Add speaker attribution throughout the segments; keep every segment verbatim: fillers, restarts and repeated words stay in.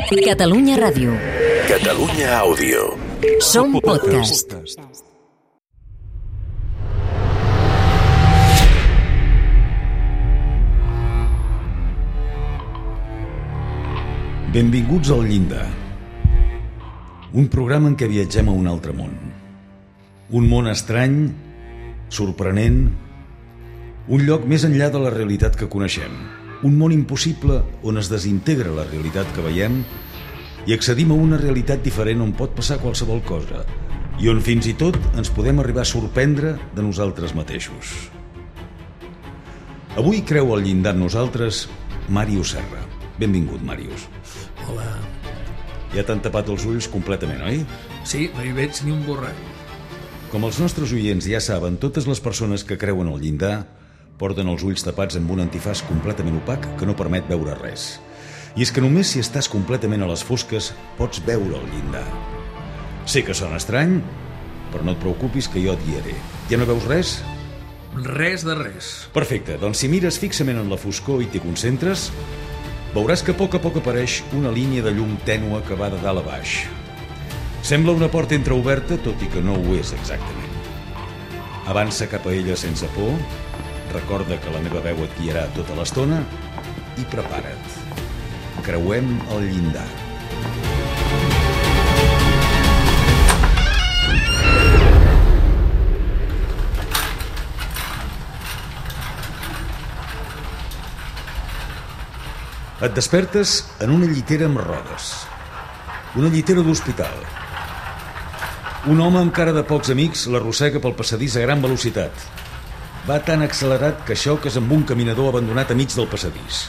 Speaker 1: Catalunya Ràdio.
Speaker 2: Catalunya Àudio.
Speaker 1: Som podcast.
Speaker 3: Benvinguts al Llindar. Un programa en què viatgem a un altre món. Un món estrany, sorprenent, un lloc més enllà de la realitat que coneixem. Un món impossible on es desintegra la realitat que veiem i accedim a una realitat diferent on pot passar qualsevol cosa i on fins i tot ens podem arribar a sorprendre de nosaltres mateixos. Avui creu al llindar amb nosaltres Màrius Serra. Benvingut, Màrius.
Speaker 4: Hola.
Speaker 3: Ja t'han tapat els ulls completament, oi?
Speaker 4: Sí, no hi veig ni un borrall.
Speaker 3: Com els nostres oients ja saben, totes les persones que creuen al llindar porten els ulls tapats amb un antifàs completament opac que no permet veure res. I és que només si estàs completament a les fosques pots veure el llindar. Sé que sona estrany, però no et preocupis que jo et guiaré. Ja no veus res?
Speaker 4: Res de res.
Speaker 3: Perfecte, doncs si mires fixament en la foscor i t'hi concentres, veuràs que a poc a poc apareix una línia de llum tènue que va de dalt a baix. Sembla una porta entreoberta, tot i que no ho és exactament. Avança cap a ella sense por, recorda que la meva veu et guiarà tota l'estona i prepara't. Creuem el llindar. Et despertes en una llitera amb rodes. Una llitera d'hospital. Un home amb cara de pocs amics l'arrossega pel passadís a gran velocitat. Va tan accelerat que xoques amb un caminador abandonat a mig del passadís.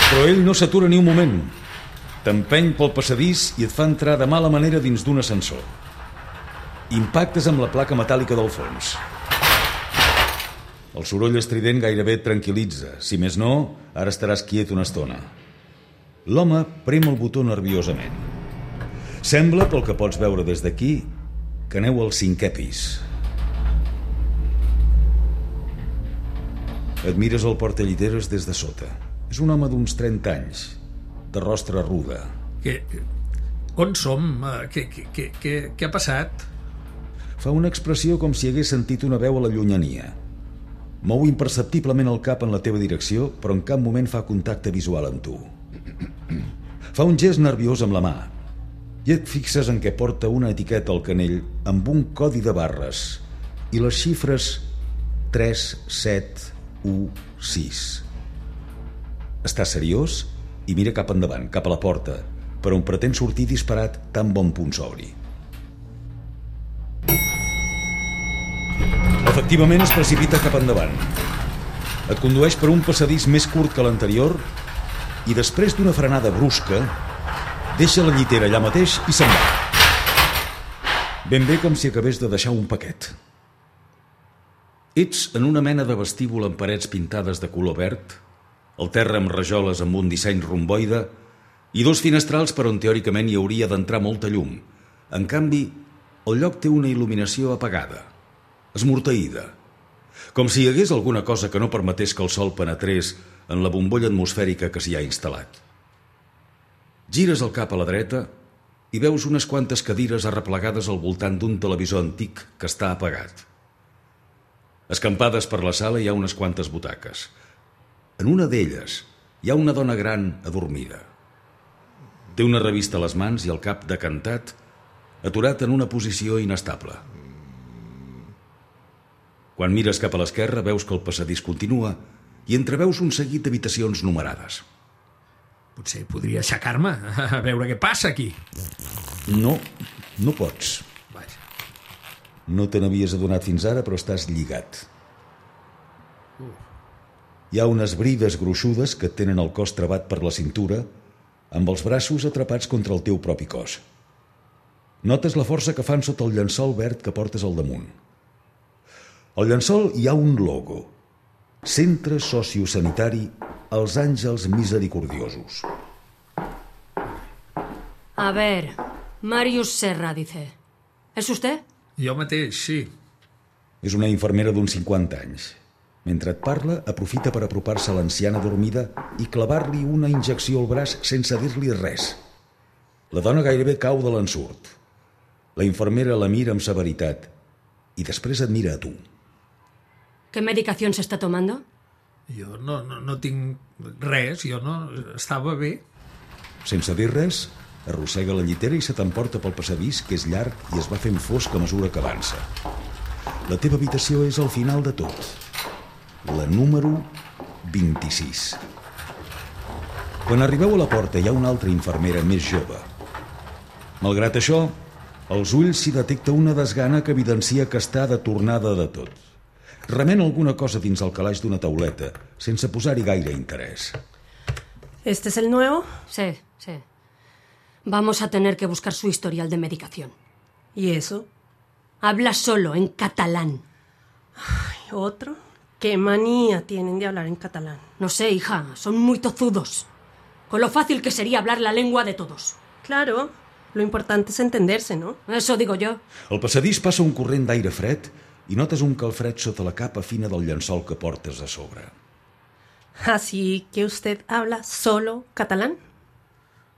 Speaker 3: Però ell no s'atura ni un moment. T'empeny pel passadís i et fa entrar de mala manera dins d'un ascensor. Impactes amb la placa metàl·lica del fons. El soroll estrident gairebé et tranquil·litza. Si més no, ara estaràs quiet una estona. L'home prem el botó nerviosament. Sembla, pel que pots veure des d'aquí, que aneu al cinquè pis. Et mires el portalliteres des de sota. És un home d'uns trenta anys, de rostre ruda.
Speaker 4: Què? On som? Què, què, què, què, què ha passat?
Speaker 3: Fa una expressió com si hagués sentit una veu a la llunyania. Mou imperceptiblement el cap en la teva direcció, però en cap moment fa contacte visual amb tu. Fa un gest nerviós amb la mà i et fixes en què porta una etiqueta al canell amb un codi de barres i les xifres tres set u sis. Està seriós i mira cap endavant, cap a la porta, per on pretén sortir disparat tan bon punt s'obri. Efectivament es precipita cap endavant. Et condueix per un passadís més curt que l'anterior i després d'una frenada brusca deixa la llitera allà mateix i se'n va. Ben bé com si acabés de deixar un paquet. Ets en una mena de vestíbul amb parets pintades de color verd, el terra amb rajoles amb un disseny romboide i dos finestrals per on teòricament hi hauria d'entrar molta llum. En canvi, el lloc té una il·luminació apagada, esmorteïda, com si hi hagués alguna cosa que no permetés que el sol penetrés en la bombolla atmosfèrica que s'hi ha instal·lat. Gires el cap a la dreta i veus unes quantes cadires arreplegades al voltant d'un televisor antic que està apagat. Escampades per la sala hi ha unes quantes butaques. En una d'elles hi ha una dona gran adormida. Té una revista a les mans i el cap decantat, aturat en una posició inestable. Quan mires cap a l'esquerra veus que el passadís continua i entreveus un seguit d'habitacions numerades.
Speaker 4: Potser podria aixecar-me a veure què passa aquí.
Speaker 3: No, no pots.
Speaker 4: Vaja.
Speaker 3: No te n'havies adonat fins ara, però estàs lligat.
Speaker 4: Uh.
Speaker 3: Hi ha unes brides gruixudes que et tenen el cos travat per la cintura, amb els braços atrapats contra el teu propi cos. Notes la força que fan sota el llençol verd que portes al damunt. Al llençol hi ha un logo. Centre Sociosanitari Els Àngels Misericordiosos.
Speaker 5: A ver, Màrius Serra, dice. ¿Es usted?
Speaker 4: Jo mateix, sí.
Speaker 3: És una infermera d'uns cinquanta anys. Mentre et parla, aprofita per apropar-se a l'anciana dormida i clavar-li una injecció al braç sense dir-li res. La dona gairebé cau de l'ensurt. La infermera la mira amb severitat i després et mira a tu.
Speaker 5: ¿Qué medicación se está tomando?
Speaker 4: Jo no, no, no tinc res, jo no... Estava bé.
Speaker 3: Sense dir res, arrossega la llitera i se t'emporta pel passadís, que és llarg i es va fent fosc a mesura que avança. La teva habitació és al final de tot. La número vint-i-sis. Quan arribeu a la porta hi ha una altra infermera més jove. Malgrat això, als ulls s'hi detecta una desgana que evidencia que està de tornada de tot. Remena alguna cosa dins el calaix d'una tauleta, sense posar-hi gaire interès.
Speaker 6: ¿Este es el nuevo?
Speaker 5: Sí, sí. Vamos a tener que buscar su historial de medicación.
Speaker 6: ¿Y eso?
Speaker 5: Habla solo, en catalán.
Speaker 6: Ay, ¿otro? ¿Qué manía tienen de hablar en catalán?
Speaker 5: No sé, hija, son muy tozudos. Con lo fácil que sería hablar la lengua de todos.
Speaker 6: Claro, lo importante es entenderse, ¿no?
Speaker 5: Eso digo yo.
Speaker 3: Al passadís passa un corrent d'aire fred i notes un calfred sota la capa fina del llençol que portes a sobre.
Speaker 6: Así que usted habla solo catalán?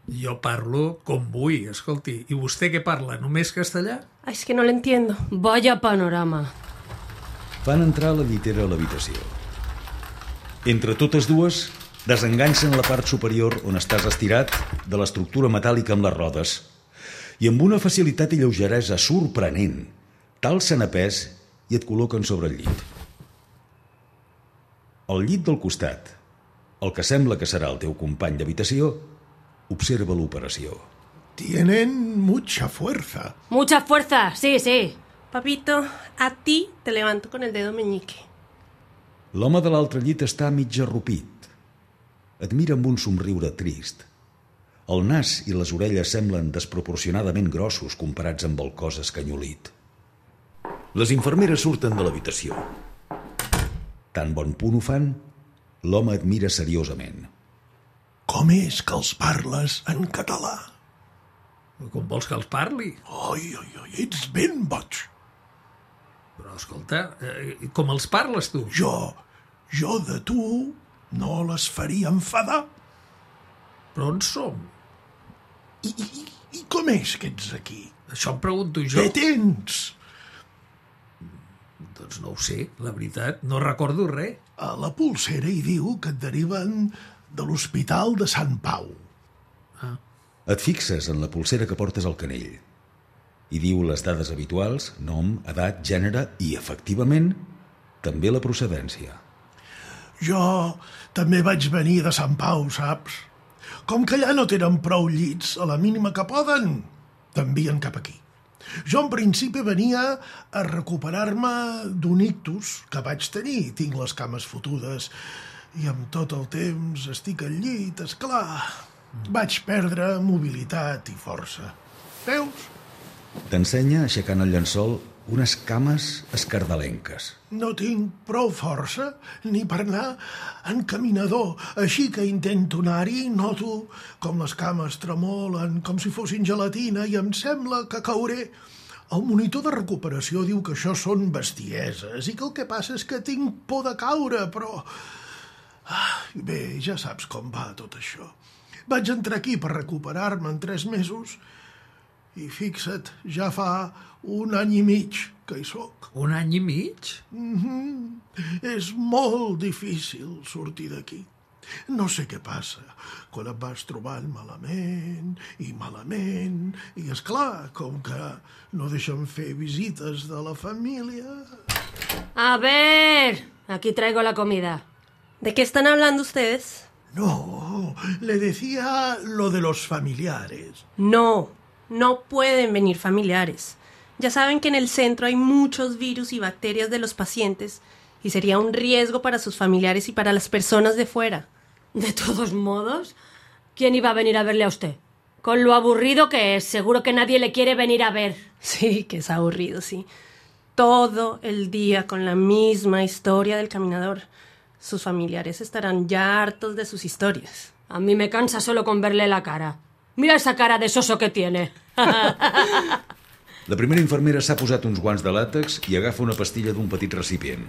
Speaker 4: Jo parlo com vull, escolti. I vostè què parla? Només castellà?
Speaker 6: Ay, es que no lo entiendo.
Speaker 5: Vaya panorama.
Speaker 3: Fan entrar la llitera a l'habitació. Entre totes dues, desenganxen la part superior on estàs estirat de l'estructura metàl·lica amb les rodes i amb una facilitat i lleugeresa sorprenent t'alcen a pes i et col·loquen sobre el llit. Al llit del costat, el que sembla que serà el teu company d'habitació, observa l'operació.
Speaker 7: Tienen mucha fuerza.
Speaker 5: Mucha fuerza, sí, sí.
Speaker 6: Papito, a ti te levanto con el dedo meñique.
Speaker 3: L'home de l'altre llit està mig arrupit. Et mira amb un somriure trist. El nas i les orelles semblen desproporcionadament grossos comparats amb el cos escanyolit. Les infermeres surten de l'habitació. Tan bon punt ho fan, l'home et mira seriosament.
Speaker 7: Com és que els parles en català?
Speaker 4: Com vols que els parli?
Speaker 7: Oi, oi, oi, ets ben boig.
Speaker 4: Però, escolta, eh, com els parles tu?
Speaker 7: Jo, jo de tu no les faria enfadar.
Speaker 4: Però on som?
Speaker 7: I, i, i com és que ets aquí?
Speaker 4: Això em pregunto jo.
Speaker 7: Què tens?
Speaker 4: Doncs no ho sé, la veritat, no recordo res.
Speaker 7: A la pulsera hi diu que et deriven de l'Hospital de Sant Pau.
Speaker 4: Ah.
Speaker 3: Et fixes en la pulsera que portes al canell. Hi diu les dades habituals, nom, edat, gènere i, efectivament, també la procedència.
Speaker 7: Jo també vaig venir de Sant Pau, saps? Com que allà no tenen prou llits, a la mínima que poden, t'envien cap aquí. Jo en principi venia a recuperar-me d'un ictus que vaig tenir. Tinc les cames fotudes i amb tot el temps estic al llit, esclar. Vaig perdre mobilitat i força. Veus?
Speaker 3: T'ensenya, aixecant el llençol, unes cames escardalenques.
Speaker 7: No tinc prou força ni per anar en caminador, així que intento anar-hi, noto com les cames tremolen, com si fossin gelatina, i em sembla que cauré. El monitor de recuperació diu que això són bestieses i que el que passa és que tinc por de caure, però... Ah, bé, ja saps com va tot això. Vaig entrar aquí per recuperar-me en tres mesos i fixa't, ja fa un any i mig que hi soc.
Speaker 4: Un any i mig?
Speaker 7: Mm-hmm. És molt difícil sortir d'aquí. No sé què passa, quan et vas trobant malament i malament, i és clar, com que no deixen fer visites de la família...
Speaker 5: A ver, aquí traigo la comida.
Speaker 6: ¿De qué están hablando ustedes?
Speaker 7: No, le decía lo de los familiares.
Speaker 6: No, no pueden venir familiares. Ya saben que en el centro hay muchos virus y bacterias de los pacientes y sería un riesgo para sus familiares y para las personas de fuera.
Speaker 5: De todos modos, ¿quién iba a venir a verle a usted? Con lo aburrido que es, seguro que nadie le quiere venir a ver.
Speaker 6: Sí, que es aburrido, sí. Todo el día con la misma historia del caminador. Sus familiares estarán ya hartos de sus historias.
Speaker 5: A mí me cansa solo con verle la cara. Mira esa cara de soso que tiene.
Speaker 3: La primera infermera s'ha posat uns guants de làtex i agafa una pastilla d'un petit recipient.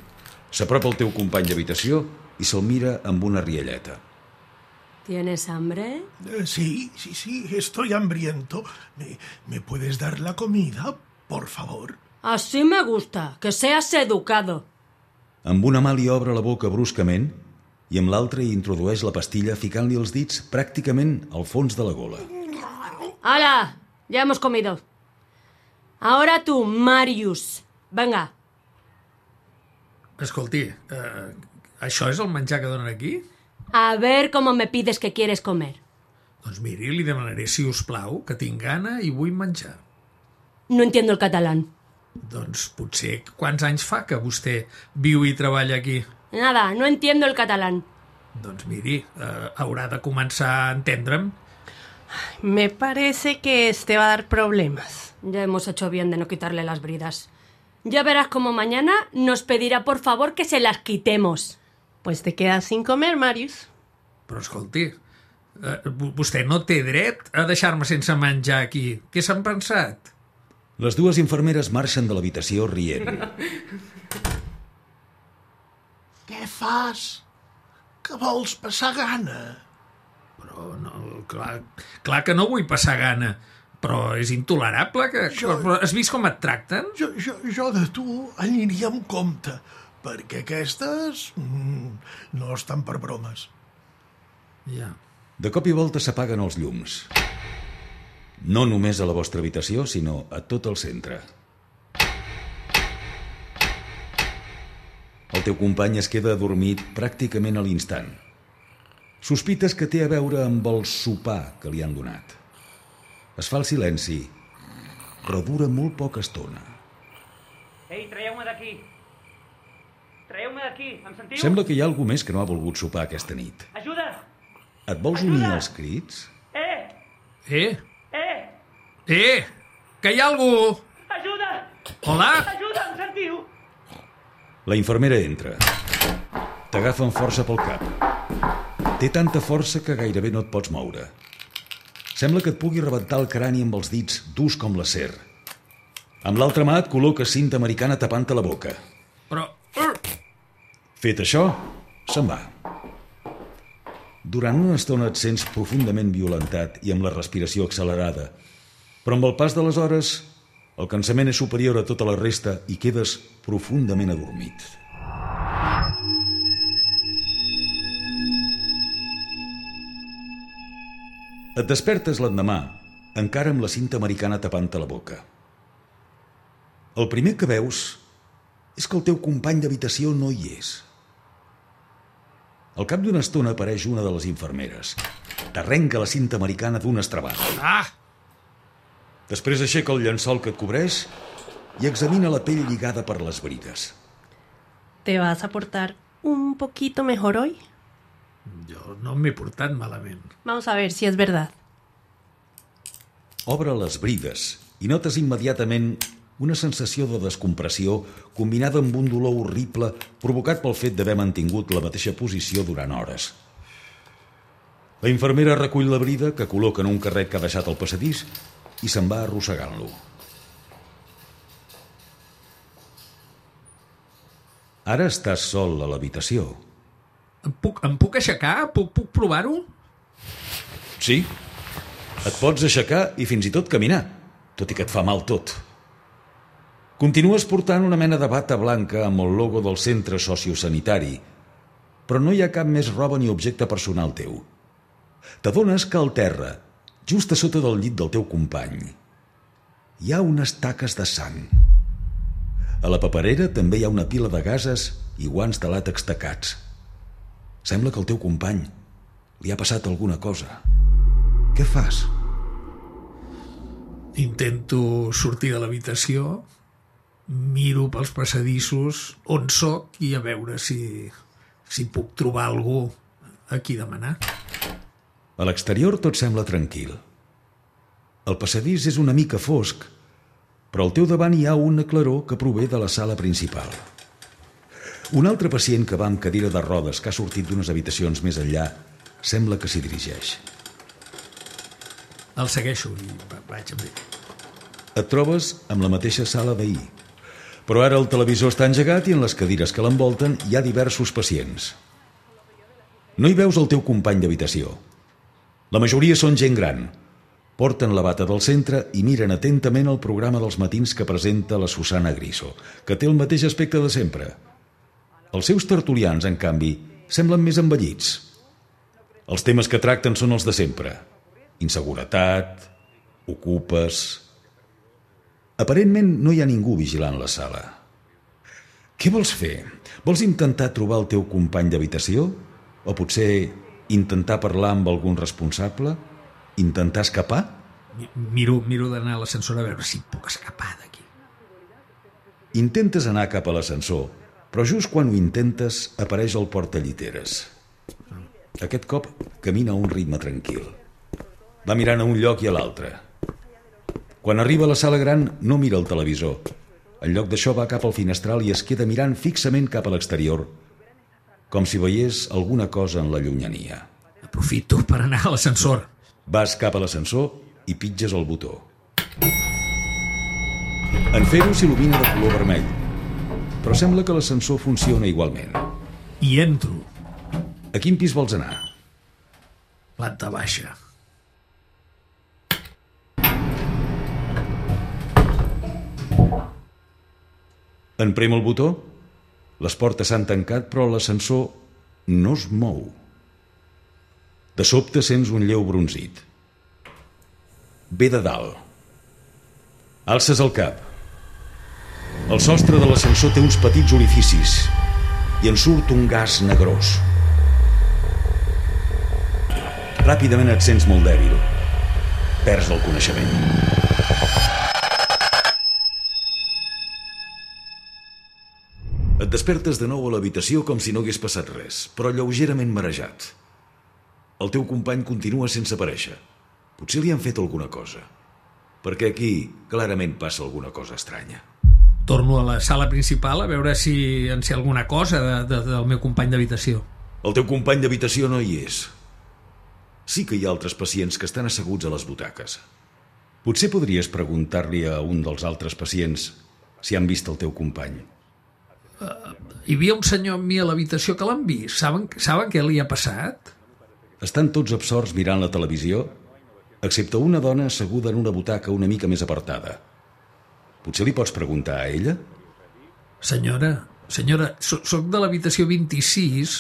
Speaker 3: S'apropa el teu company d'habitació i se'l mira amb una rialleta.
Speaker 5: ¿Tienes hambre?
Speaker 7: Eh, sí, sí, sí, estoy hambriento. ¿Me, ¿Me puedes dar la comida, por favor?
Speaker 5: Así me gusta, que seas educado.
Speaker 3: Amb una mà li obre la boca bruscament i amb l'altra hi introdueix la pastilla ficant-li els dits pràcticament al fons de la gola.
Speaker 5: ¡Hala! Ya hemos comido. Ahora tú, Marius. Venga.
Speaker 4: Escolti, eh, això és el menjar que donen aquí?
Speaker 5: A ver cómo me pides que quieres comer.
Speaker 4: Doncs miri, li demanaré, si us plau, que tinc gana i vull menjar.
Speaker 5: No entiendo el catalán.
Speaker 4: Doncs potser quants anys fa que vostè viu i treballa aquí?
Speaker 5: Nada, no entiendo el catalán.
Speaker 4: Doncs miri, eh, haurà de començar a entendre'm.
Speaker 6: Me parece que este va a dar problemas.
Speaker 5: Ya hemos hecho bien de no quitarle las bridas. Ya verás como mañana nos pedirá por favor que se las quitemos.
Speaker 6: Pues te quedas sin comer, Marius.
Speaker 4: Però escolti, eh, vostè no té dret a deixar-me sense menjar aquí. Què s'han pensat?
Speaker 3: Les dues infermeres marxen de l'habitació rient.
Speaker 7: Què fas? Que vols passar gana?
Speaker 4: Però no, clar, clar que no vull passar gana, però és intolerable que...
Speaker 7: Jo-
Speaker 4: Però has vist com et tracten?
Speaker 7: Jo, jo, jo de tu aniria amb compte, perquè aquestes mm, no estan per bromes.
Speaker 4: Ja.
Speaker 3: De cop i volta s'apaguen els llums. No només a la vostra habitació, sinó a tot el centre. El teu company es queda adormit pràcticament a l'instant. Sospites que té a veure amb el sopar que li han donat. Es fa el silenci, però dura molt poca estona.
Speaker 8: Ei, traieu-me d'aquí. Traieu-me d'aquí, em sentiu?
Speaker 3: Sembla que hi ha algú més que no ha volgut sopar aquesta nit.
Speaker 8: Ajuda!
Speaker 3: Et vols unir als crits?
Speaker 8: Eh!
Speaker 4: Eh?
Speaker 8: Eh!
Speaker 4: Eh! Que hi ha algú!
Speaker 8: Ajuda!
Speaker 4: Hola?
Speaker 8: Ajuda, em sentiu?
Speaker 3: La infermera entra. T'agafa amb força pel cap. Té tanta força que gairebé no et pots moure. Sembla que et pugui rebentar el crani amb els dits durs com l'acer. Amb l'altra mà et col·loca cinta americana tapant-te la boca.
Speaker 4: Però...
Speaker 3: Fet això, se'n va. Durant una estona et sents profundament violentat i amb la respiració accelerada, però amb el pas de les hores el cansament és superior a tota la resta i quedes profundament adormit. Et despertes l'endemà, encara amb la cinta americana tapant-te la boca. El primer que veus és que el teu company d'habitació no hi és. Al cap d'una estona apareix una de les infermeres. T'arrenca la cinta americana d'un estrabat.
Speaker 4: Ah!
Speaker 3: Després aixeca el llençol que et cobreix i examina la pell lligada per les brides.
Speaker 6: ¿Te vas a portar un poquito mejor hoy?
Speaker 4: Jo no m'he portat malament.
Speaker 6: Vamos a ver si es verdad.
Speaker 3: Obre les brides i notes immediatament una sensació de descompressió combinada amb un dolor horrible provocat pel fet d'haver mantingut la mateixa posició durant hores. La infermera recull la brida que col·loca en un carret que ha deixat al passadís i se'n va arrossegant-lo. Ara estàs sol a l'habitació.
Speaker 4: Em puc, em puc aixecar? Puc, puc provar-ho?
Speaker 3: Sí, et pots aixecar i fins i tot caminar, tot i que et fa mal tot. Continues portant una mena de bata blanca amb el logo del centre sociosanitari, però no hi ha cap més roba ni objecte personal teu. T'adones que al terra, just a sota del llit del teu company, hi ha unes taques de sang. A la paperera també hi ha una pila de gases i guants de làtex tacats. Sembla que al teu company li ha passat alguna cosa. Què fas?
Speaker 4: Intento sortir de l'habitació, miro pels passadissos on sóc i a veure si, si puc trobar algú a qui demanar.
Speaker 3: A l'exterior tot sembla tranquil. El passadís és una mica fosc, però al teu davant hi ha una claror que prové de la sala principal. Un altre pacient que va amb cadira de rodes que ha sortit d'unes habitacions més enllà sembla que s'hi dirigeix.
Speaker 4: El segueixo i vaig amb ell.
Speaker 3: Et trobes amb la mateixa sala d'ahir. Però ara el televisor està engegat i en les cadires que l'envolten hi ha diversos pacients. No hi veus el teu company d'habitació. La majoria són gent gran. Porten la bata del centre i miren atentament el programa dels matins que presenta la Susana Griso, que té el mateix aspecte de sempre. Els seus tertulians, en canvi, semblen més envellits. Els temes que tracten són els de sempre. Inseguretat, ocupes... Aparentment no hi ha ningú vigilant la sala. Què vols fer? Vols intentar trobar el teu company d'habitació? O potser intentar parlar amb algun responsable? Intentar escapar?
Speaker 4: Miro, miro d'anar a l'ascensor a veure si puc escapar d'aquí.
Speaker 3: Intentes anar cap a l'ascensor, però just quan ho intentes apareix el portalliteres. Aquest cop camina a un ritme tranquil. Va mirant a un lloc i a l'altre. Quan arriba a la sala gran no mira el televisor. En lloc d'això va cap al finestral i es queda mirant fixament cap a l'exterior, com si veiés alguna cosa en la llunyania.
Speaker 4: Aprofito per anar a l'ascensor.
Speaker 3: Vas cap a l'ascensor i pitges el botó. En fer-ho s'il·lumina de color vermell, però sembla que l'ascensor funciona igualment.
Speaker 4: I entro.
Speaker 3: A quin pis vols anar?
Speaker 4: Planta baixa.
Speaker 3: En prem el botó, les portes s'han tancat, però l'ascensor no es mou. De sobte sents un lleu brunzit. Ve de dalt. Alces el cap. El sostre de l'ascensor té uns petits orificis i en surt un gas negrós. Ràpidament et sents molt dèbil. Perds el coneixement. Et despertes de nou a l'habitació com si no hagués passat res, però lleugerament marejat. El teu company continua sense aparèixer. Potser li han fet alguna cosa, perquè aquí clarament passa alguna cosa estranya.
Speaker 4: Torno a la sala principal a veure si en sé alguna cosa de, de, del meu company d'habitació.
Speaker 3: El teu company d'habitació no hi és. Sí que hi ha altres pacients que estan asseguts a les butaques. Potser podries preguntar-li a un dels altres pacients si han vist el teu company.
Speaker 4: Uh, hi havia un senyor amb mi a l'habitació que l'han vist. Saben, saben què li ha passat?
Speaker 3: Estan tots absorts mirant la televisió, excepte una dona asseguda en una butaca una mica més apartada. Potser li pots preguntar a ella?
Speaker 4: Senyora, senyora, so, soc de l'habitació vint-i-sis.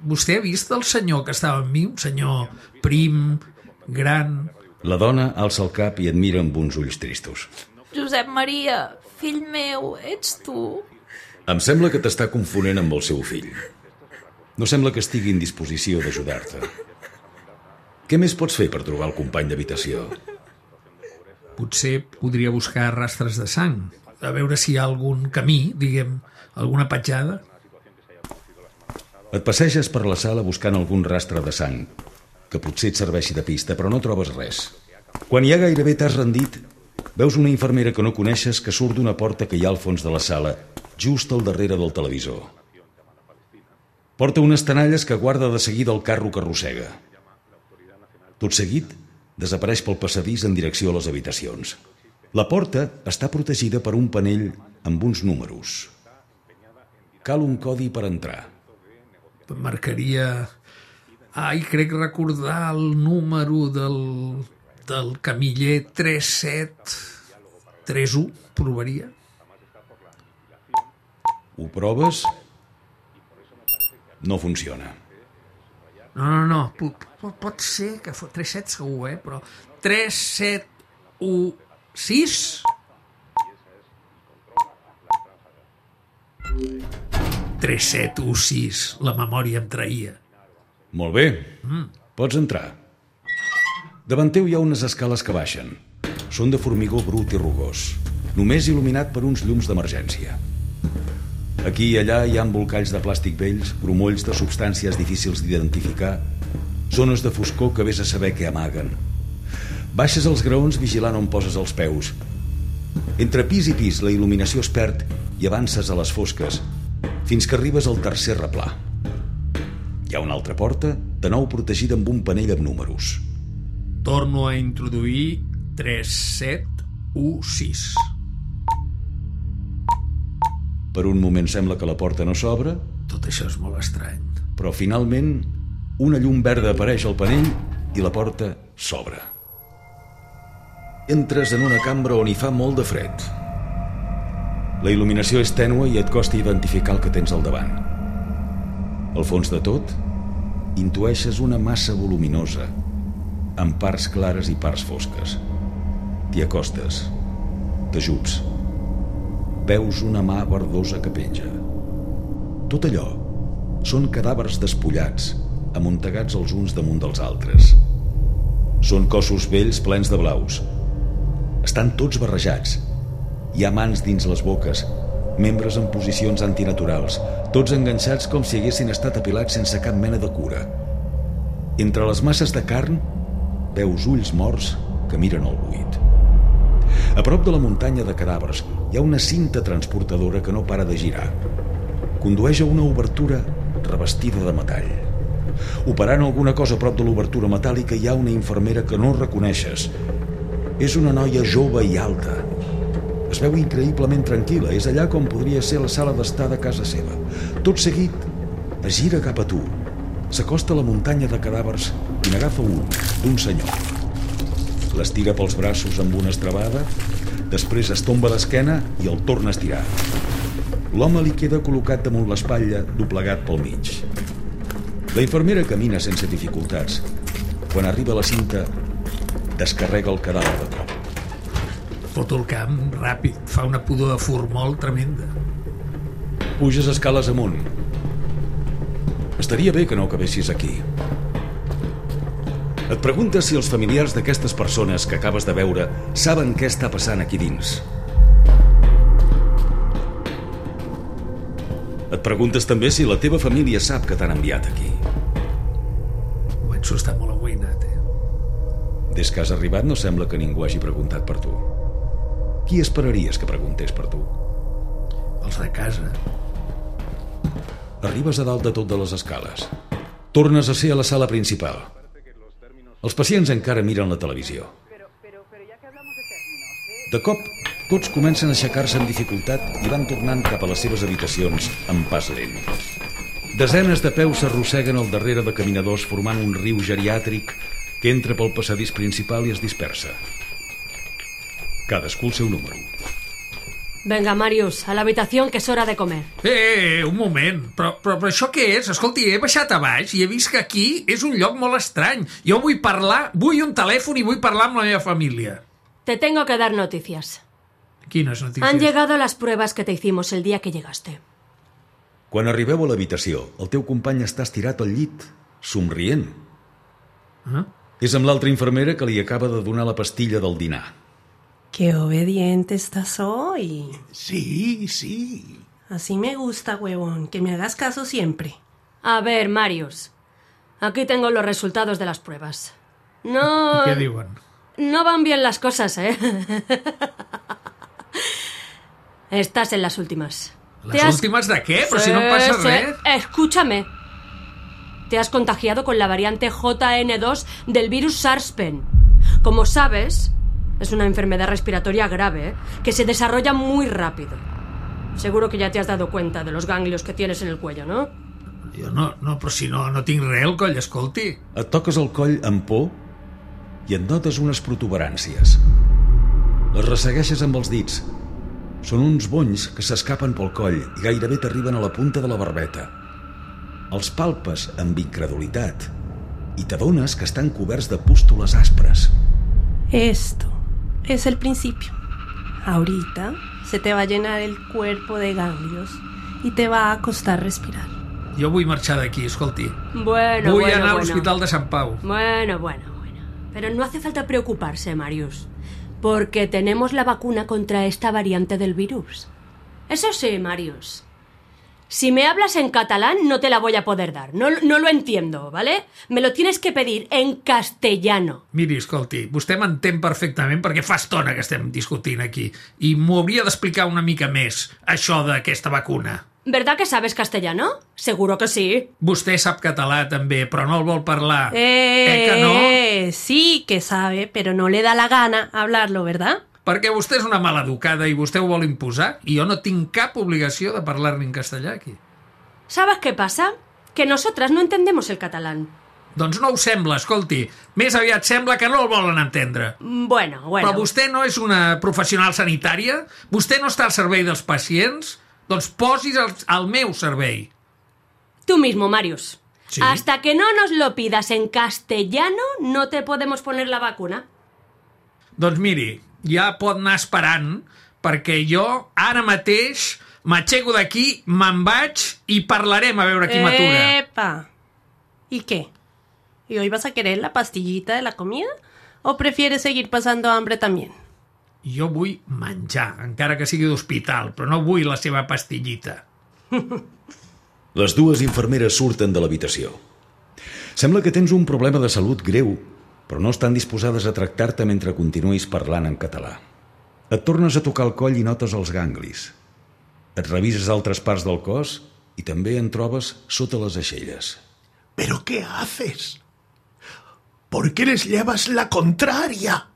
Speaker 4: Vostè ha vist el senyor que estava amb mi? Un senyor prim, gran...
Speaker 3: La dona alça el cap i et mira amb uns ulls tristos.
Speaker 9: Josep Maria, fill meu, ets tu?
Speaker 3: Em sembla que t'està confonent amb el seu fill. No sembla que estigui en disposició d'ajudar-te. Què més pots fer per trobar el company d'habitació?
Speaker 4: Potser podria buscar rastres de sang, a veure si hi ha algun camí, diguem, alguna petjada.
Speaker 3: Et passeges per la sala buscant algun rastre de sang, que potser et serveixi de pista, però no trobes res. Quan ja gairebé t'has rendit, veus una infermera que no coneixes que surt d'una porta que hi ha al fons de la sala, just al darrere del televisor. Porta unes tenalles que guarda de seguida el carro que arrossega. Tot seguit, desapareix pel passadís en direcció a les habitacions. La porta està protegida per un panell amb uns números. Cal un codi per entrar.
Speaker 4: Marcaria... Ai, crec recordar el número del, del camiller tres set tres u. Provaria.
Speaker 3: Ho proves? No funciona.
Speaker 4: No, no, no. Pot, pot ser que fos tres set segur, eh? Però tres set u sis? tres set u sis. La memòria em traïa.
Speaker 3: Molt bé. Mm. Pots entrar. Davant teu hi ha unes escales que baixen. Són de formigó brut i rugós, només il·luminat per uns llums d'emergència. Aquí i allà hi ha embolcalls de plàstic vells, grumolls de substàncies difícils d'identificar, zones de foscor que vés a saber què amaguen. Baixes els graons vigilant on poses els peus. Entre pis i pis la il·luminació es perd i avances a les fosques, fins que arribes al tercer replà. Hi ha una altra porta, de nou protegida amb un panell amb números.
Speaker 4: Torno a introduir tres set u sis.
Speaker 3: Per un moment sembla que la porta no s'obre.
Speaker 4: Tot això és molt estrany.
Speaker 3: Però finalment una llum verda apareix al panell i la porta s'obre. Entres en una cambra on hi fa molt de fred. La il·luminació és tènue i et costa identificar el que tens al davant. Al fons de tot, intueixes una massa voluminosa, amb parts clares i parts fosques. T'hi acostes, t'ajups. Veus una mà verdosa que penja. Tot allò són cadàvers despullats, amuntegats els uns damunt dels altres. Són cossos vells plens de blaus. Estan tots barrejats. Hi ha mans dins les boques, membres en posicions antinaturals, tots enganxats com si haguessin estat apilats sense cap mena de cura. Entre les masses de carn, veus ulls morts que miren al buit. A prop de la muntanya de cadàvers hi ha una cinta transportadora que no para de girar. Condueix a una obertura revestida de metall. Operant alguna cosa a prop de l'obertura metàl·lica hi ha una infermera que no reconeixes. És una noia jove i alta. Es veu increïblement tranquil·la. És allà com podria ser la sala d'estar de casa seva. Tot seguit, es gira cap a tu. S'acosta a la muntanya de cadàvers i n'agafa un, d'un senyor. L'estira pels braços amb una estrebada, després es tomba d'esquena i el torna a estirar. L'home li queda col·locat damunt l'espatlla, doblegat pel mig. La infermera camina sense dificultats. Quan arriba a la cinta, descarrega el cadàver de cop.
Speaker 4: Foto el camp ràpid, fa una pudor de formol tremenda.
Speaker 3: Puges escales amunt. Estaria bé que no acabessis aquí. Et preguntes si els familiars d'aquestes persones que acabes de veure saben què està passant aquí dins. Et preguntes també si la teva família sap que t'han enviat aquí.
Speaker 4: Començo a estar molt amoïnat, eh?
Speaker 3: Des que has arribat no sembla que ningú hagi preguntat per tu. Qui esperaries que preguntés per tu?
Speaker 4: Els de casa.
Speaker 3: Arribes a dalt de tot de les escales. Tornes a ser a la sala principal. Els pacients encara miren la televisió. De cop, tots comencen a aixecar-se amb dificultat i van tornant cap a les seves habitacions amb pas lent. Desenes de peus s'arrosseguen al darrere de caminadors formant un riu geriàtric que entra pel passadís principal i es dispersa. Cadascú el seu número.
Speaker 5: Venga, Marius, a la habitación, que es hora de comer.
Speaker 4: Eh, un moment, però, però, però això què és? Escolti, he baixat a baix i he vist que aquí és un lloc molt estrany. Jo vull parlar, vull un telèfon i vull parlar amb la meva família.
Speaker 5: Te tengo que dar noticias.
Speaker 4: Quines notícies?
Speaker 5: Han llegado las pruebas que te hicimos el día que llegaste.
Speaker 3: Quan arribeu a l'habitació, el teu company està estirat al llit, somrient.
Speaker 4: Ah?
Speaker 3: És amb l'altra infermera que li acaba de donar la pastilla del dinar.
Speaker 6: Qué obediente estás hoy.
Speaker 7: Sí, sí.
Speaker 6: Así me gusta, huevón, que me hagas caso siempre.
Speaker 5: A ver, Marius, aquí tengo los resultados de las pruebas. No...
Speaker 4: Què diuen?
Speaker 5: No van bien las cosas, ¿eh? Estás en las últimas.
Speaker 4: Les has... últimes de què? Però sí, si no passa
Speaker 5: sí.
Speaker 4: res.
Speaker 5: Escúchame. Te has contagiado con la variante J N dos del virus SARS-CoV. Como sabes, es una enfermedad respiratoria grave, ¿eh? Que se desarrolla muy rápido. Seguro que ya te has dado cuenta de los ganglios que tienes en el cuello, ¿no?
Speaker 4: Jo no, no, però si no, no tinc res al coll, escolti.
Speaker 3: Et toques el coll amb por i et notes unes protuberàncies. Les ressegueixes amb els dits. Són uns bonys que s'escapen pel coll i gairebé t'arriben a la punta de la barbeta. Els palpes amb incredulitat i t'adones que estan coberts de pústules aspres.
Speaker 6: Esto es el principio. Ahorita se te va a llenar el cuerpo de ganglios y te va a costar respirar.
Speaker 4: Jo vull marxar d'aquí, escolti.
Speaker 5: Bueno,
Speaker 4: Vull
Speaker 5: bueno,
Speaker 4: anar a
Speaker 5: bueno.
Speaker 4: l'Hospital de Sant Pau.
Speaker 5: Bueno, bueno, bueno. Pero no hace falta preocuparse, Marius, porque tenemos la vacuna contra esta variante del virus. Eso sí, Marius, si me hablas en catalán no te la voy a poder dar. No, no lo entiendo, ¿vale? Me lo tienes que pedir en castellano.
Speaker 4: Miri, escolti, vostè m'entén perfectament perquè fa estona que estem discutint aquí i m'ho hauria d'explicar una mica més, això d'aquesta vacuna.
Speaker 5: ¿Verdad que sabes castellano? Seguro que sí.
Speaker 4: Vostè sap català també, però no el vol parlar.
Speaker 6: Eh,
Speaker 4: eh que no?
Speaker 6: eh, sí que sabe, pero no le da la gana hablarlo, ¿verdad?
Speaker 4: perquè vostè és una maleducada i vostè ho vol imposar i jo no tinc cap obligació de parlar-li en castellà aquí.
Speaker 5: ¿Sabes qué pasa? Que nosotras no entendemos el catalán.
Speaker 4: Doncs no ho sembla, escolti. Més aviat sembla que no el volen entendre.
Speaker 5: Bueno, bueno.
Speaker 4: Però vostè no és una professional sanitària? Vostè no està al servei dels pacients? Doncs posis al, al meu servei.
Speaker 5: Tú mismo, Marius.
Speaker 4: Sí.
Speaker 5: Hasta que no nos lo pidas en castellano, no te podemos poner la vacuna.
Speaker 4: Doncs miri, ja pot anar esperant, perquè jo ara mateix m'aixeco d'aquí, me'n vaig i parlarem a veure qui m'atura.
Speaker 6: ¡Epa! ¿Y qué? ¿Y hoy vas a querer la pastillita de la comida? ¿O prefieres seguir pasando hambre también?
Speaker 4: Jo vull menjar, encara que sigui d'hospital, però no vull la seva pastillita.
Speaker 3: Les dues infermeres surten de l'habitació. Sembla que tens un problema de salut greu, però no estan disposades a tractar-te mentre continuïs parlant en català. Et tornes a tocar el coll i notes els ganglis. Et revises altres parts del cos i també en trobes sota les aixelles.
Speaker 7: ¿Pero qué haces? ¿Por qué les llevas la contraria?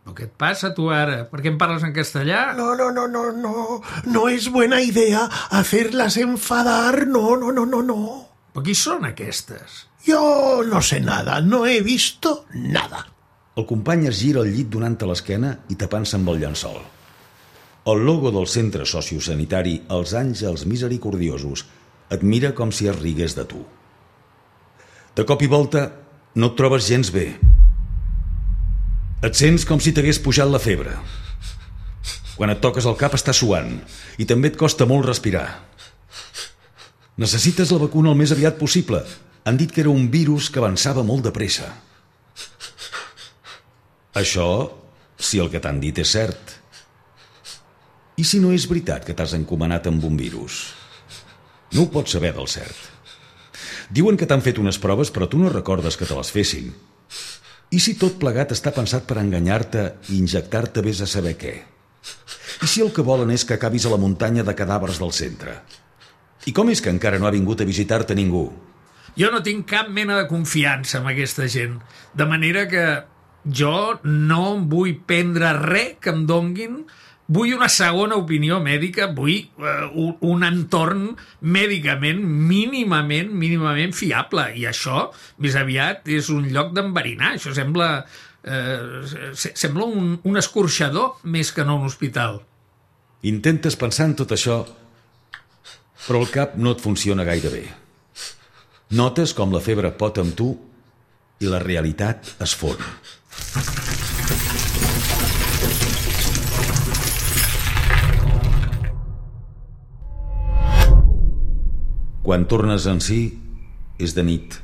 Speaker 4: Però què et passa, tu, ara? Per què em parles en castellà?
Speaker 7: No, no, no, no, no. No es buena idea hacerlas enfadar. No, no, no, no, no.
Speaker 4: Però qui són aquestes?
Speaker 7: Yo no sé nada. No he visto nada.
Speaker 3: El company es gira al llit donant-te l'esquena i tapant-se amb el llençol. El logo del centre sociosanitari, els àngels misericordiosos, et mira com si es rigués de tu. De cop i volta no et trobes gens bé. Et sents com si t'hagués pujat la febre. Quan et toques el cap està suant i també et costa molt respirar. Necessites la vacuna el més aviat possible. Han dit que era un virus que avançava molt de pressa. Això, si el que t'han dit és cert. I si no és veritat que t'has encomanat amb un virus? No ho pots saber del cert. Diuen que t'han fet unes proves, però tu no recordes que te les fessin. I si tot plegat està pensat per enganyar-te i injectar-te vés a saber què? I si el que volen és que acabis a la muntanya de cadàvers del centre? I com és que encara no ha vingut a visitar-te ningú?
Speaker 4: Jo no tinc cap mena de confiança en aquesta gent, de manera que jo no vull prendre res que em donguin. Vull una segona opinió mèdica, vull uh, un, un entorn mèdicament mínimament, mínimament fiable. I això, més aviat, és un lloc d'enverinar. Això sembla, uh, sembla un, un escorxador més que no un hospital.
Speaker 3: Intentes pensar en tot això, però el cap no et funciona gaire bé. Notes com la febre pot amb tu i la realitat es fon. Quan tornes en si, és de nit.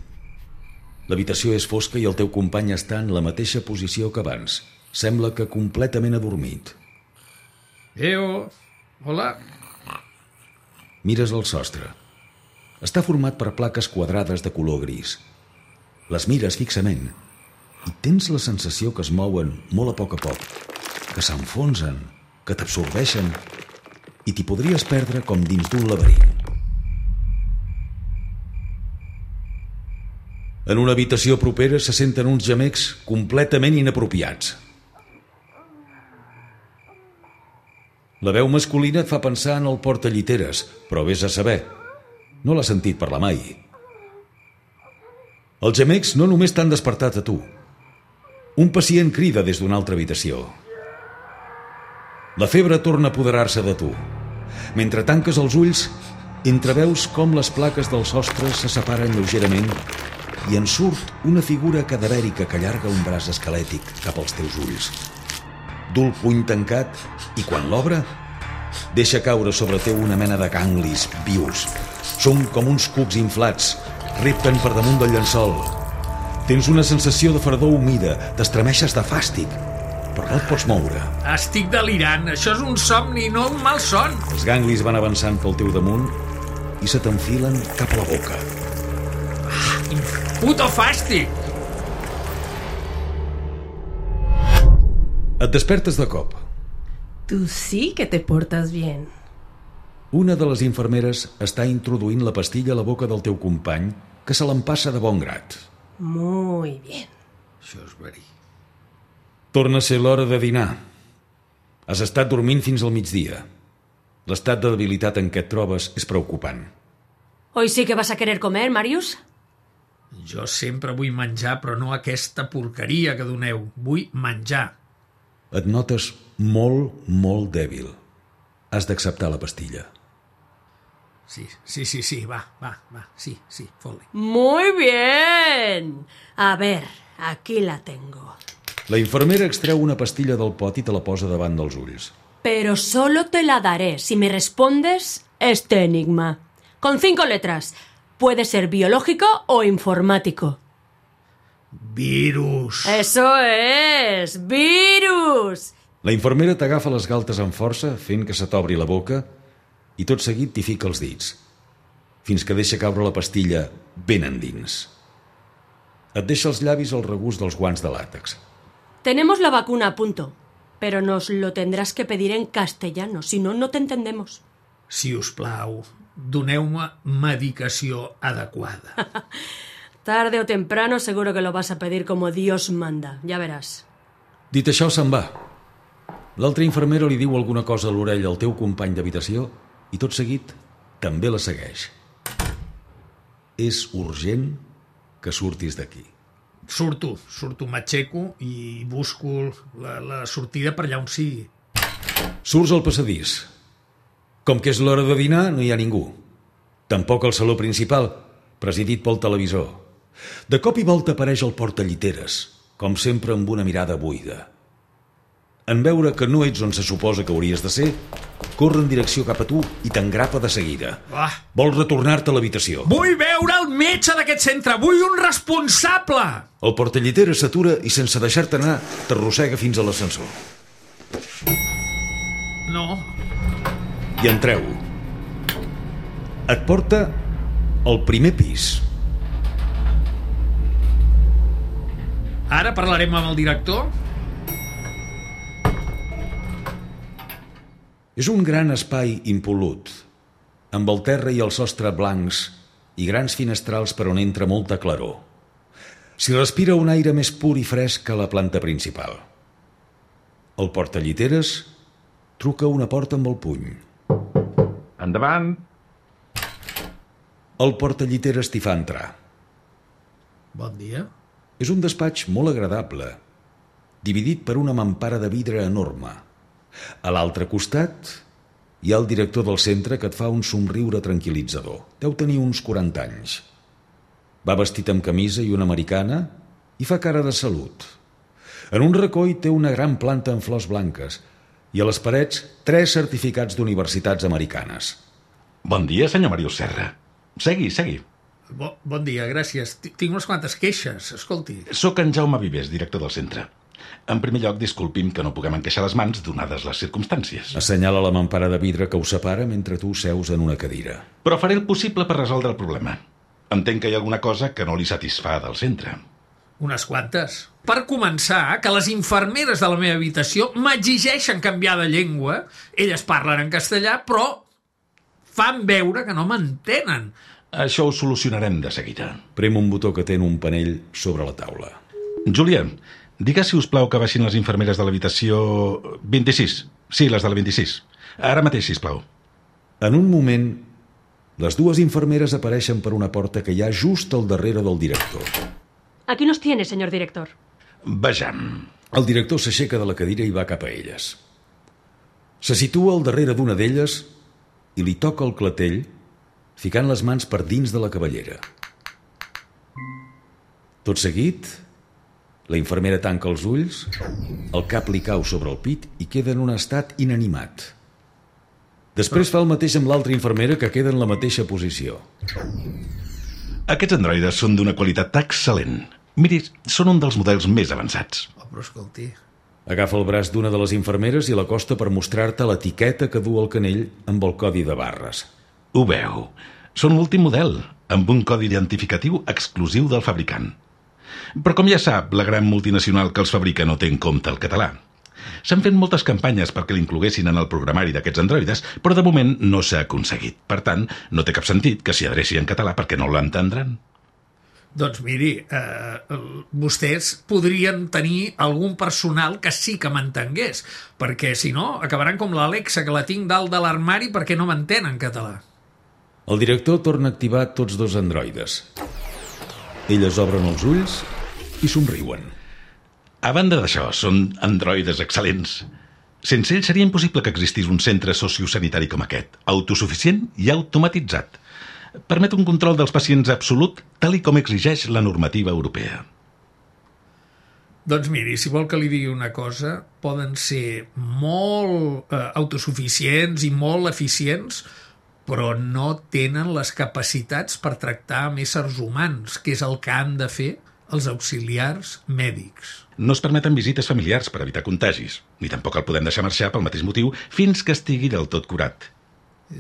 Speaker 3: L'habitació és fosca i el teu company està en la mateixa posició que abans. Sembla que completament adormit.
Speaker 4: Eo, hola.
Speaker 3: Mires el sostre. Està format per plaques quadrades de color gris. Les mires fixament i tens la sensació que es mouen molt a poc a poc, que s'enfonsen, que t'absorbeixen i t'hi podries perdre com dins d'un laberint. En una habitació propera se senten uns gemecs completament inapropiats. La veu masculina et fa pensar en el portalliteres, però vés a saber. No l'has sentit parlar mai. Els gemecs no només t'han despertat a tu. Un pacient crida des d'una altra habitació. La febre torna a apoderar-se de tu. Mentre tanques els ulls, entreveus com les plaques del sostre se separen lleugerament i en surt una figura cadavèrica que allarga un braç esquelètic cap als teus ulls. Du el puny tancat i, quan l'obre, deixa caure sobre teu una mena de ganglis vius. Són com uns cucs inflats, repten per damunt del llençol. Tens una sensació de fredor humida, t'estremeixes de fàstic, però no et pots moure.
Speaker 4: Estic delirant, això és un somni, no un mal son.
Speaker 3: Els ganglis van avançant pel teu damunt i se t'enfilen cap a la boca.
Speaker 4: Ah, quin puto fàstic!
Speaker 3: Et despertes de cop.
Speaker 6: Tú sí que te portas bien.
Speaker 3: Una de les infermeres està introduint la pastilla a la boca del teu company, que se l'empassa de bon grat.
Speaker 6: Muy bien.
Speaker 4: Això és verí.
Speaker 3: Torna a ser l'hora de dinar. Has estat dormint fins al migdia. L'estat de debilitat en què et trobes és preocupant.
Speaker 5: Hoy sí que vas a querer comer, Marius?
Speaker 4: Jo sempre vull menjar, però no aquesta porqueria que doneu. Vull menjar.
Speaker 3: Et notes molt, molt dèbil. Has d'acceptar la pastilla.
Speaker 4: Sí, sí, sí, sí, va, va, va, sí, sí, fot-li.
Speaker 5: Muy bien. A ver, aquí la tengo.
Speaker 3: La infermera extreu una pastilla del pot i te la posa davant dels ulls.
Speaker 5: Pero solo te la daré si me respondes este enigma. Con cinco letras. Puede ser biológico o informático.
Speaker 4: Virus.
Speaker 5: Eso es, virus.
Speaker 3: La infermera t'agafa les galtes amb força, fent que se t'obri la boca, i tot seguit t'hi fica els dits, fins que deixa caure la pastilla ben endins. Et deixa els llavis al regust dels guants de làtex.
Speaker 5: Tenemos la vacuna a punto, pero nos lo tendrás que pedir en castellano, si no, no te entendemos.
Speaker 4: Si us plau, doneu-me medicació adequada.
Speaker 5: Tarde o temprano seguro que lo vas a pedir como Dios manda, ya verás.
Speaker 3: Dit això, se'n va. L'altra infermera li diu alguna cosa a l'orella al teu company d'habitació i tot seguit també la segueix. És urgent que surtis d'aquí.
Speaker 4: Surto, surto, m'aixeco i busco la, la sortida per allà on sigui.
Speaker 3: Surts al passadís. Com que és l'hora de dinar, no hi ha ningú. Tampoc al saló principal, presidit pel televisor. De cop i volta apareix el portalliteres, com sempre amb una mirada buida. En veure que no ets on se suposa que hauries de ser, corre en direcció cap a tu i t'engrapa de seguida.
Speaker 4: Ah.
Speaker 3: Vol retornar-te a l'habitació.
Speaker 4: Vull veure el metge d'aquest centre! Vull un responsable!
Speaker 3: El portalliteres s'atura i sense deixar-te anar t'arrossega fins a l'ascensor.
Speaker 4: No.
Speaker 3: I entreu. Et porta al primer pis.
Speaker 4: Ara parlarem amb el director?
Speaker 3: És un gran espai impolut, amb el terra i el sostre blancs i grans finestrals per on entra molta claror. S'hi respira un aire més pur i fresc que a la planta principal. El portalliteres truca una porta amb el puny.
Speaker 10: Endavant.
Speaker 3: El portalliteres t'hi fa entrar.
Speaker 4: Bon dia.
Speaker 3: És un despatx molt agradable, dividit per una mampara de vidre enorme. A l'altre costat hi ha el director del centre que et fa un somriure tranquil·litzador. Deu tenir uns quaranta anys. Va vestit amb camisa i una americana i fa cara de salut. En un racó hi té una gran planta amb flors blanques i a les parets tres certificats d'universitats americanes.
Speaker 10: Bon dia, senyor Marius Serra. Segui, segui.
Speaker 4: Bo, bon dia, gràcies. Tinc unes quantes queixes, escolti.
Speaker 10: Soc en Jaume Vives, director del centre. En primer lloc, disculpi'm que no puguem encaixar les mans donades les circumstàncies.
Speaker 3: Assenyala la mampara de vidre que us separa mentre tu seus en una cadira.
Speaker 10: Però faré el possible per resoldre el problema. Entenc que hi ha alguna cosa que no li satisfà del centre.
Speaker 4: Unes quantes. Per començar, que les infermeres de la meva habitació m'exigeixen canviar de llengua. Elles parlen en castellà, però fan veure que no m'entenen.
Speaker 10: Això ho solucionarem de seguida.
Speaker 3: Prem un botó que té en un panell sobre la taula.
Speaker 10: Júlia, digues, si us plau, que baixin les infermeres de l'habitació vint-i-sis. Sí, les de la vint-i-sis. Ara mateix, sisplau.
Speaker 3: En un moment, les dues infermeres apareixen per una porta que hi ha just al darrere del director.
Speaker 5: Aquí nos tiene, señor director.
Speaker 10: Vejam.
Speaker 3: El director s'aixeca de la cadira i va cap a elles. Se situa al darrere d'una d'elles i li toca el clatell, ficant les mans per dins de la cabellera. Tot seguit, la infermera tanca els ulls, el cap li cau sobre el pit i queda en un estat inanimat. Després fa el mateix amb l'altra infermera, que queda en la mateixa posició.
Speaker 10: Aquests androides són d'una qualitat excel·lent. Miri, són un dels models més avançats.
Speaker 4: Oh, però escolti...
Speaker 3: Agafa el braç d'una de les infermeres i l'acosta per mostrar-te l'etiqueta que du al canell amb el codi de barres.
Speaker 10: Ho veu. Són l'últim model, amb un codi identificatiu exclusiu del fabricant. Però com ja sap, la gran multinacional que els fabrica no té en compte el català. S'han fet moltes campanyes perquè l'incloguessin en el programari d'aquests androides, però de moment no s'ha aconseguit. Per tant, no té cap sentit que s'hi adreci en català perquè no l'entendran.
Speaker 4: Doncs miri, eh, vostès podrien tenir algun personal que sí que m'entengués, perquè si no acabaran com l'Alexa, que la tinc dalt de l'armari perquè no m'entén en català.
Speaker 3: El director torna a activar tots dos androides. Elles obren els ulls i somriuen.
Speaker 10: A banda d'això, són androides excel·lents. Sense ells seria impossible que existís un centre sociosanitari com aquest, autosuficient i automatitzat. Permet un control dels pacients absolut, tal i com exigeix la normativa europea.
Speaker 4: Doncs miri, si vol que li digui una cosa, poden ser molt eh, autosuficients i molt eficients, però no tenen les capacitats per tractar amb éssers humans, que és el que han de fer els auxiliars mèdics.
Speaker 10: No es permeten visites familiars per evitar contagis, ni tampoc el podem deixar marxar pel mateix motiu fins que estigui del tot curat.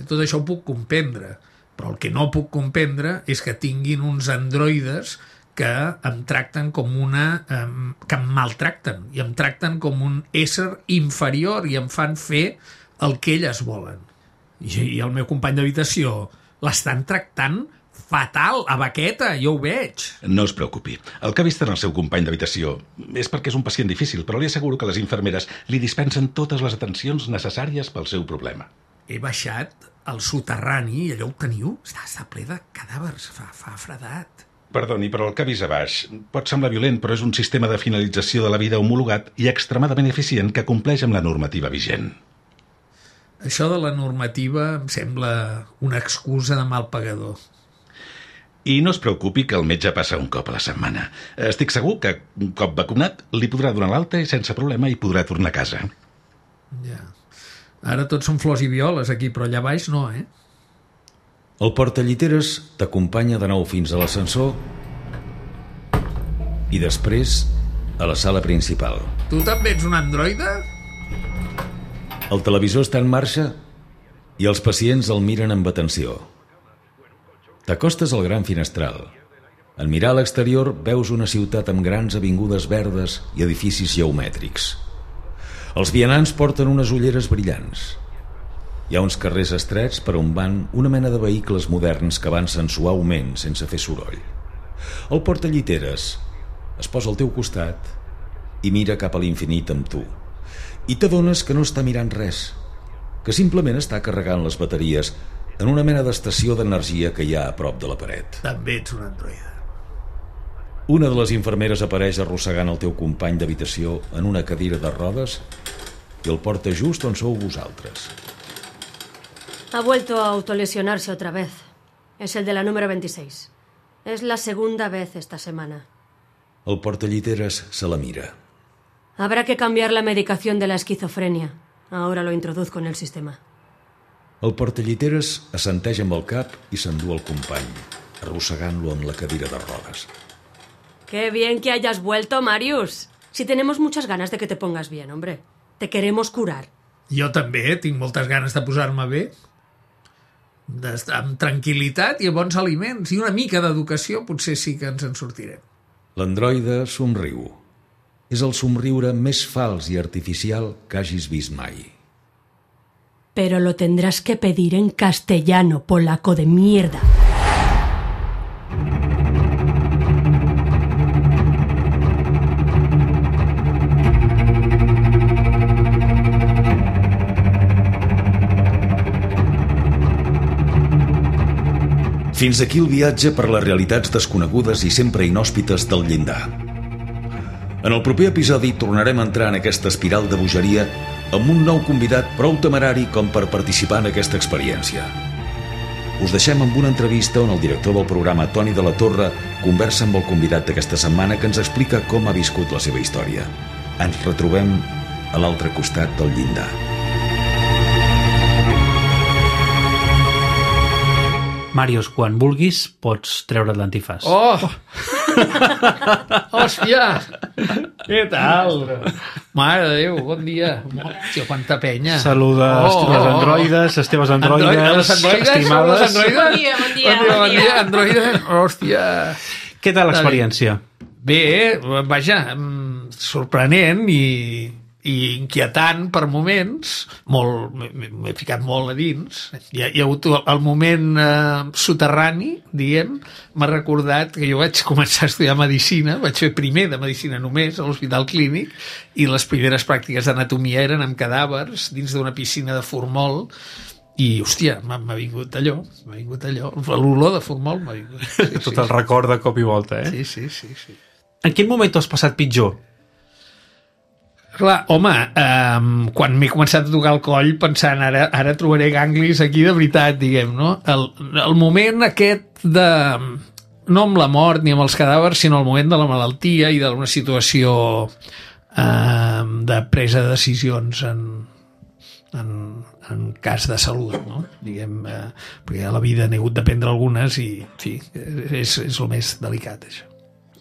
Speaker 4: Tot això ho puc comprendre, però el que no puc comprendre és que tinguin uns androides que em tracten com una... Eh, que em maltracten, i em tracten com un ésser inferior i em fan fer el que elles volen. I, i el meu company d'habitació l'estan tractant fatal, a baqueta, jo ho veig.
Speaker 10: No es preocupi. El que ha vist en el seu company d'habitació és perquè és un pacient difícil, però li asseguro que les infermeres li dispensen totes les atencions necessàries pel seu problema.
Speaker 4: He baixat al soterrani i allò ho teniu? Està, està ple de cadàvers, fa, fa fredat.
Speaker 10: Perdoni, però el que ha vist a baix pot semblar violent, però és un sistema de finalització de la vida homologat i extremadament eficient que compleix amb la normativa vigent.
Speaker 4: Això de la normativa em sembla una excusa de mal pagador.
Speaker 10: I no es preocupi que el metge passa un cop a la setmana. Estic segur que, un cop vacunat, li podrà donar l'alta i sense problema hi podrà tornar a casa.
Speaker 4: Ja. Ara tots són flors i violes aquí, però allà baix no, eh?
Speaker 3: El portalliteres t'acompanya de nou fins a l'ascensor i després a la sala principal.
Speaker 4: Tu també ets un androide?
Speaker 3: El televisor està en marxa i els pacients el miren amb atenció. T'acostes al gran finestral. En mirar a l'exterior veus una ciutat amb grans avingudes verdes i edificis geomètrics. Els vianants porten unes ulleres brillants. Hi ha uns carrers estrets per on van una mena de vehicles moderns que avancen suaument sense fer soroll. El portalliteres es posa al teu costat i mira cap a l'infinit amb tu. I t'adones que no està mirant res, que simplement està carregant les bateries en una mena d'estació d'energia que hi ha a prop de la paret.
Speaker 4: També ets un androide.
Speaker 3: Una de les infermeres apareix arrossegant el teu company d'habitació en una cadira de rodes i el porta just on sou vosaltres.
Speaker 5: Ha vuelto a autolesionarse otra vez. Es el de la número veintiséis. Es la segunda vez esta semana.
Speaker 3: El portalliteres se la mira.
Speaker 5: Habrá que cambiar la medicación de la esquizofrenia. Ahora lo introduzco en el sistema.
Speaker 3: El portalliteres assenteix amb el cap i s'endú el company, arrossegant-lo en la cadira de rodes.
Speaker 5: ¡Qué bien que hayas vuelto, Marius! Si tenemos muchas ganas de que te pongas bien, hombre. Te queremos curar.
Speaker 4: Jo també tinc moltes ganes de posar-me bé. D'estar amb tranquil·litat i bons aliments i una mica d'educació potser sí que ens en sortirem.
Speaker 3: L'androide somriu. És el somriure més fals i artificial que hagis vist mai.
Speaker 5: Pero lo tendrás que pedir en castellano, polaco de mierda.
Speaker 3: Fins aquí el viatge per les realitats desconegudes i sempre inhòspites del llindar. En el proper episodi tornarem a entrar en aquesta espiral de bogeria amb un nou convidat prou temerari com per participar en aquesta experiència. Us deixem amb una entrevista on el director del programa, Toni de la Torre, conversa amb el convidat d'aquesta setmana que ens explica com ha viscut la seva història. Ens retrobem a l'altre costat del llindar.
Speaker 11: Màrius, quan vulguis, pots treure't l'antifàs.
Speaker 4: Oh! Hòstia! Què tal? Mare de Déu, bon dia. Hòstia, quanta penya.
Speaker 11: Saluda, oh, estimes androides, esteves androides,
Speaker 4: Android, les androides,
Speaker 11: estimades.
Speaker 4: Les androides?
Speaker 6: Bon dia, bon dia,
Speaker 4: bon dia.
Speaker 6: bon dia.
Speaker 4: Androides, hòstia.
Speaker 11: Què tal l'experiència?
Speaker 4: Bé, vaja, sorprenent i, i inquietant per moments, molt, m'he ficat molt a dins. Hi ha, hi ha hagut el moment eh, soterrani, diguem, m'ha recordat que jo vaig començar a estudiar medicina, vaig fer primer de medicina només a l'Hospital Clínic, i les primeres pràctiques d'anatomia eren amb cadàvers dins d'una piscina de formol, i, hòstia, m'ha vingut allò, m'ha vingut allò, l'olor de formol m'ha vingut. Sí,
Speaker 11: Tot
Speaker 4: sí,
Speaker 11: el record de cop i volta, eh?
Speaker 4: Sí, sí, sí, sí.
Speaker 11: En quin moment t'ho has passat pitjor?
Speaker 4: Clar, home, um, quan m'he començat a tocar el coll pensant ara, ara trobaré ganglis aquí de veritat, diguem, no? El, el moment aquest de... no amb la mort ni amb els cadàvers, sinó el moment de la malaltia i d'una situació um, de presa de decisions en, en, en cas de salut, no? Diguem, eh, perquè a la vida n'he hagut de prendre algunes i, en fi, és, és el més delicat, això.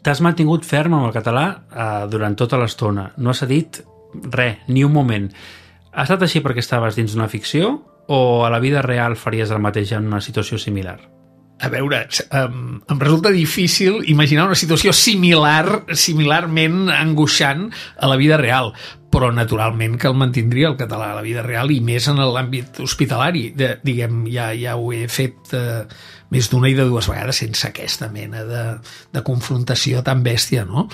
Speaker 11: T'has mantingut ferm amb el català eh, durant tota l'estona. No has dit res, ni un moment. Ha estat així perquè estaves dins d'una ficció o a la vida real faries el mateix en una situació similar?
Speaker 4: A veure, em, em resulta difícil imaginar una situació similar, similarment angoixant a la vida real, però naturalment que el mantindria el català a la vida real i més en l'àmbit hospitalari. De, diguem, ja, ja ho he fet eh, més d'una i de dues vegades sense aquesta mena de, de confrontació tan bèstia, no?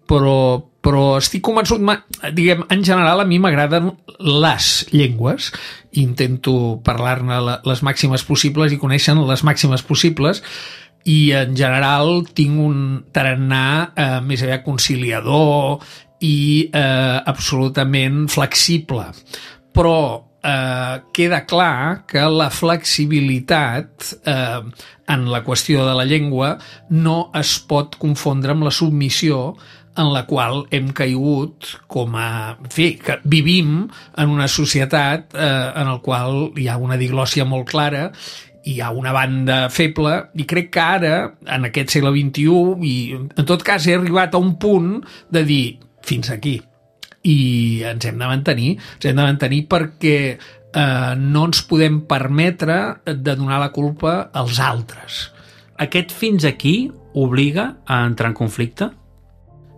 Speaker 4: Però, però estic convençut, diguem, en general a mi m'agraden les llengües, intento parlar-ne les màximes possibles i conèixer les màximes possibles, i en general tinc un tarannà eh, més aviat conciliador i eh, absolutament flexible. Però eh, queda clar que la flexibilitat eh, en la qüestió de la llengua no es pot confondre amb la submissió en la qual hem caigut com a... En fi, que vivim en una societat eh, en la qual hi ha una diglòssia molt clara, hi ha una banda feble, i crec que ara, en aquest segle vint-i-u, i en tot cas he arribat a un punt de dir fins aquí, i ens hem de mantenir, ens hem de mantenir perquè eh, no ens podem permetre de donar la culpa als altres.
Speaker 11: Aquest fins aquí obliga a entrar en conflicte?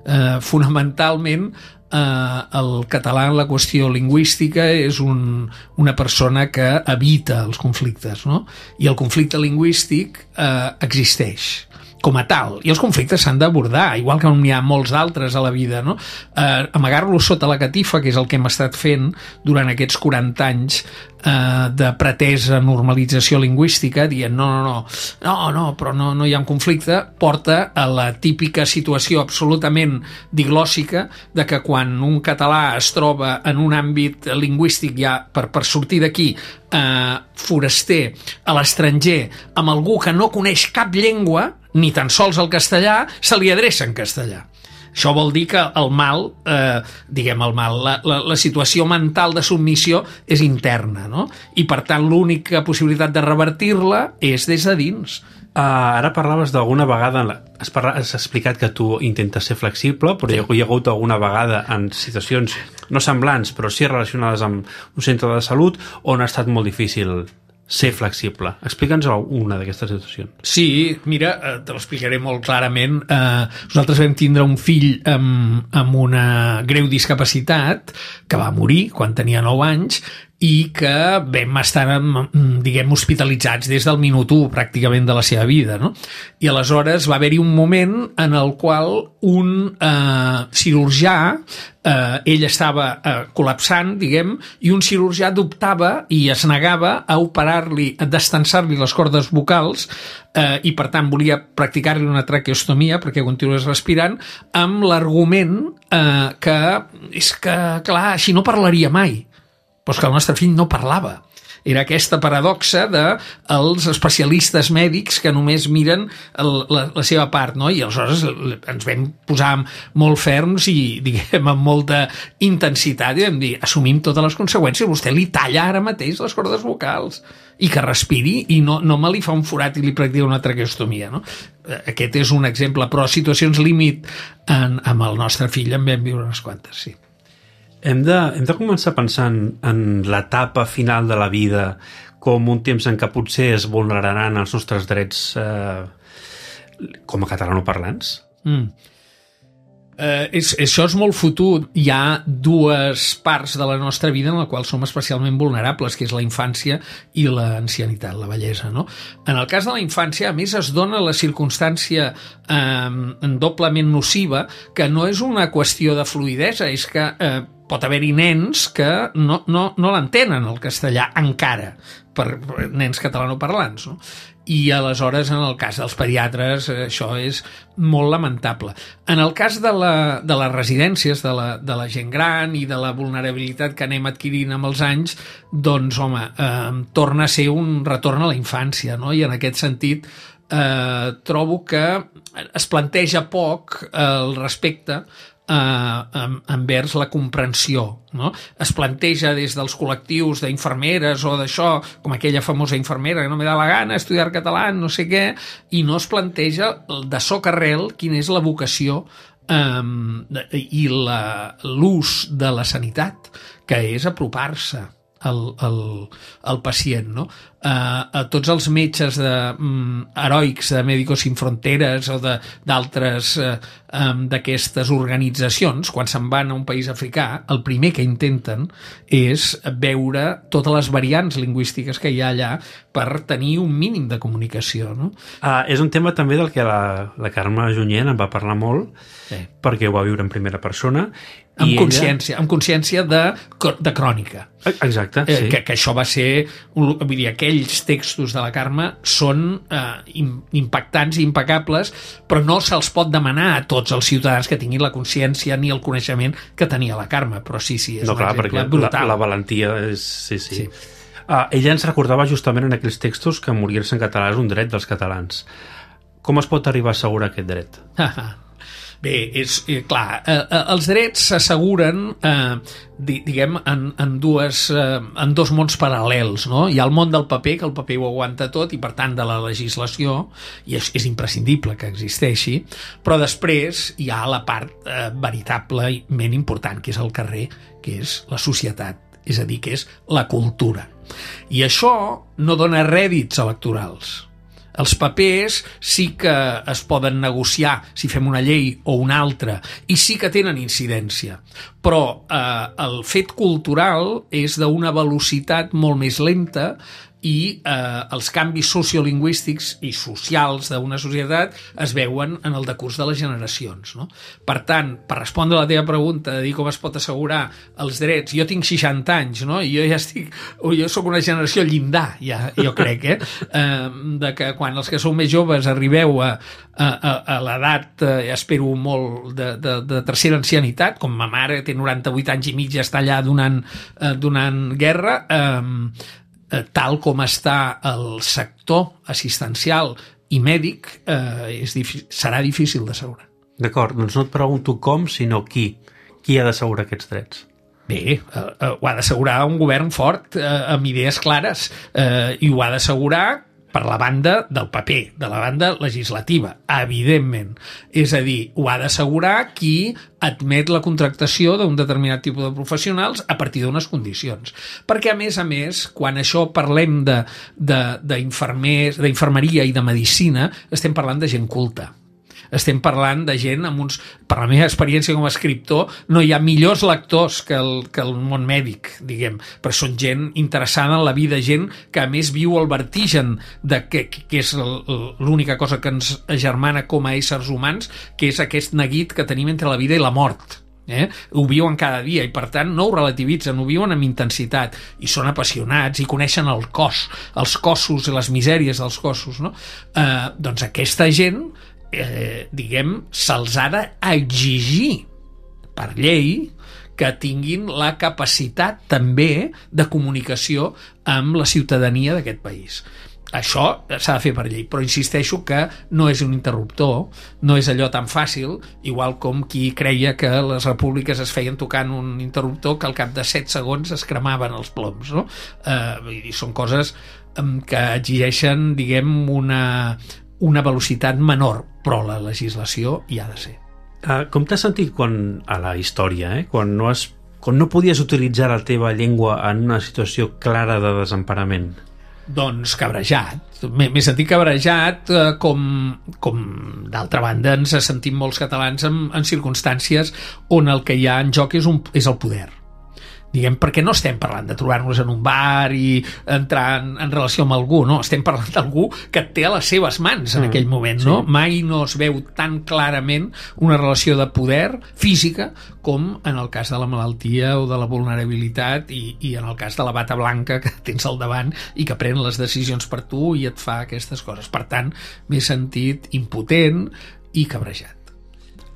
Speaker 4: Uh, fonamentalment uh, el català en la qüestió lingüística és un, una persona que evita els conflictes, no? I el conflicte lingüístic uh, existeix com a tal, i els conflictes s'han d'abordar, igual que n'hi ha molts d'altres a la vida, no? Eh, amagar-los sota la catifa, que és el que hem estat fent durant aquests quaranta anys eh, de pretesa normalització lingüística, dient no, no, no, no, no però no, no hi ha un conflicte, porta a la típica situació absolutament diglòssica de que quan un català es troba en un àmbit lingüístic ja per, per sortir d'aquí eh, foraster a l'estranger amb algú que no coneix cap llengua, ni tan sols el castellà, se li adreça en castellà. Això vol dir que el mal, eh, diguem el mal, la, la, la situació mental de submissió és interna, no? I per tant l'única possibilitat de revertir-la és des de dins.
Speaker 11: Uh, ara parlaves d'alguna vegada, has, parla, has explicat que tu intentes ser flexible, però hi ha, hi ha hagut alguna vegada en situacions no semblants, però sí relacionades amb un centre de salut, on ha estat molt difícil ser flexible. Explica'ns una d'aquestes situacions.
Speaker 4: Sí, mira, te l'explicaré molt clarament. Eh, nosaltres vam tindre un fill amb, amb una greu discapacitat que va morir quan tenia nou anys i que vam estar, diguem, hospitalitzats des del minut u pràcticament de la seva vida, no? I aleshores va haver-hi un moment en el qual un eh, cirurgià, eh, ell estava eh, col·lapsant, diguem, i un cirurgià dubtava i es negava a operar-li, a destensar-li les cordes vocals eh, i per tant volia practicar-li una traqueostomia perquè continués respirant, amb l'argument eh, que és que, clar, així no parlaria mai. Però és que el nostre fill no parlava. Era aquesta paradoxa dels especialistes mèdics que només miren el, la, la seva part, no? I aleshores ens vam posar molt ferms i, diguem, amb molta intensitat i vam dir, assumim totes les conseqüències, vostè li talla ara mateix les cordes vocals i que respiri i no, no me li fa un forat i li practica una traqueostomia, no? Aquest és un exemple, però situacions límit en, amb el nostre fill en vam viure unes quantes, sí.
Speaker 11: Hem de, hem de començar pensant en l'etapa final de la vida com un temps en què potser es vulneraran els nostres drets eh, com a catalanoparlants?
Speaker 4: Mm. Eh, és, això és molt fotut. Hi ha dues parts de la nostra vida en la qual som especialment vulnerables, que és la infància i l'ancianitat, la vellesa, no? En el cas de la infància, a més, es dona la circumstància eh, doblement nociva, que no és una qüestió de fluïdesa, és que eh, pot haver-hi nens que no, no, no l'entenen, el castellà, encara, per nens catalanoparlants, no? I aleshores, en el cas dels pediatres, això és molt lamentable. En el cas de, la, de les residències, de la, de la gent gran i de la vulnerabilitat que anem adquirint amb els anys, doncs, home, eh, torna a ser un retorn a la infància, no? I en aquest sentit eh, trobo que es planteja poc el respecte eh, envers la comprensió, no? Es planteja des dels col·lectius d'infermeres o d'això, com aquella famosa infermera que no me da la gana estudiar català, no sé què, i no es planteja de soc arrel quina és la vocació eh, i l'ús de la sanitat, que és apropar-se al, al, al pacient, no? Uh, a tots els metges de, um, heroics de Médicos Sin Fronteres o d'altres uh, um, d'aquestes organitzacions, quan se'n van a un país africà, el primer que intenten és veure totes les variants lingüístiques que hi ha allà per tenir un mínim de comunicació, no?
Speaker 11: Uh, és un tema també del que la, la Carme Junyent en va parlar molt, sí, perquè ho va viure en primera persona,
Speaker 4: amb consciència, ella... amb consciència de, de crònica.
Speaker 11: Exacte, sí.
Speaker 4: Eh, que, que això va ser, vull dir, aquells textos de la Carme són eh, impactants i impecables, però no se'ls pot demanar a tots els ciutadans que tinguin la consciència ni el coneixement que tenia la Carme, però sí, sí, és
Speaker 11: no,
Speaker 4: un
Speaker 11: clar,
Speaker 4: exemple
Speaker 11: perquè
Speaker 4: brutal.
Speaker 11: La, la valentia és... Sí, sí.
Speaker 4: Sí.
Speaker 11: Uh, ella ens recordava justament en aquells textos que morir-se en català és un dret dels catalans. Com es pot arribar a assegurar aquest dret?
Speaker 4: Bé, és eh, clar, eh, eh, els drets s'asseguren eh, di, diguem en, en, dues, eh, en dos mons paral·lels, no? Hi ha el món del paper, que el paper ho aguanta tot, i per tant de la legislació, i és, és imprescindible que existeixi, però després hi ha la part eh, veritablement important, que és el carrer, que és la societat, és a dir, que és la cultura. I això no dona rèdits electorals. Els papers sí que es poden negociar si fem una llei o una altra, i sí que tenen incidència, però eh, el fet cultural és d'una velocitat molt més lenta i eh, els canvis sociolingüístics i socials d'una societat es veuen en el decurs de les generacions, no? Per tant, per respondre a la teva pregunta de dir com es pot assegurar els drets, jo tinc seixanta anys, no? I jo ja estic, jo sóc una generació llindar, ja, jo crec, eh? eh de que quan els que sou més joves arribeu a, a, a, a l'edat, eh, espero molt, de, de, de tercera ancianitat, com ma mare té noranta-vuit anys i mig i està allà donant, eh, donant guerra, eh, tal com està el sector assistencial i mèdic, eh, és serà difícil d'assegurar.
Speaker 11: D'acord, doncs no et pregunto com, sinó qui. Qui ha d'assegurar aquests drets?
Speaker 4: Bé, eh, eh, ho ha d'assegurar un govern fort, eh, amb idees clares, eh, i ho ha d'assegurar per la banda del paper, de la banda legislativa, evidentment. És a dir, ho ha d'assegurar qui admet la contractació d'un determinat tipus de professionals a partir d'unes condicions. Perquè, a més a més, quan això parlem de, de, d'infermers, d'infermeria i de medicina, estem parlant de gent culta. Estem parlant de gent amb uns... Per la meva experiència com a escriptor, no hi ha millors lectors que el, que el món mèdic, diguem, però són gent interessada en la vida, gent que a més viu el vertigen de que, que és l'única cosa que ens agermana com a éssers humans, que és aquest neguit que tenim entre la vida i la mort. Eh? Ho viuen cada dia i per tant no ho relativitzen, ho viuen amb intensitat i són apassionats i coneixen el cos, els cossos i les misèries dels cossos, no? Eh, doncs aquesta gent, eh, diguem, se'ls ha d'exigir per llei que tinguin la capacitat també de comunicació amb la ciutadania d'aquest país. Això s'ha de fer per llei, però insisteixo que no és un interruptor, no és allò tan fàcil, igual com qui creia que les repúbliques es feien tocant un interruptor que al cap de set segons es cremaven els ploms, no? Eh, i són coses eh, que exigeixen, diguem, una, una velocitat menor, però la legislació hi ha de ser.
Speaker 11: Uh, com t'has sentit quan, a la història, eh? quan, no has, quan no podies utilitzar la teva llengua en una situació clara de desemparament?
Speaker 4: Doncs cabrejat. M'he sentit cabrejat eh, com, com d'altra banda ens sentim molts catalans en, en circumstàncies on el que hi ha en joc és, un, és el poder. Diguem, perquè no estem parlant de trobar-nos en un bar i entrar en, en relació amb algú, no, estem parlant d'algú que et té a les seves mans en mm, aquell moment, no? Sí. Mai no es veu tan clarament una relació de poder física com en el cas de la malaltia o de la vulnerabilitat i, i en el cas de la bata blanca que tens al davant i que pren les decisions per tu i et fa aquestes coses. Per tant, m'he sentit impotent i cabrejat.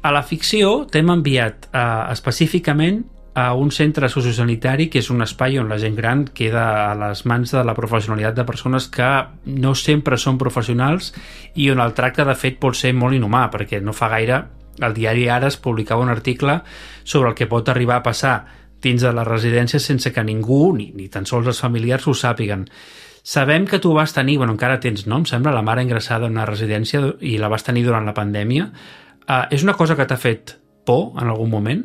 Speaker 11: A la ficció t'hem enviat eh, específicament a un centre sociosanitari que és un espai on la gent gran queda a les mans de la professionalitat de persones que no sempre són professionals i on el tracte de fet pot ser molt inhumà, perquè no fa gaire al diari Ara es publicava un article sobre el que pot arribar a passar dins de les residències sense que ningú, ni, ni tan sols els familiars, ho sàpiguen. Sabem que tu vas tenir, bueno, encara tens, no? Em sembla, la mare ingressada en una residència i la vas tenir durant la pandèmia. Uh, és una cosa que t'ha fet por en algun moment?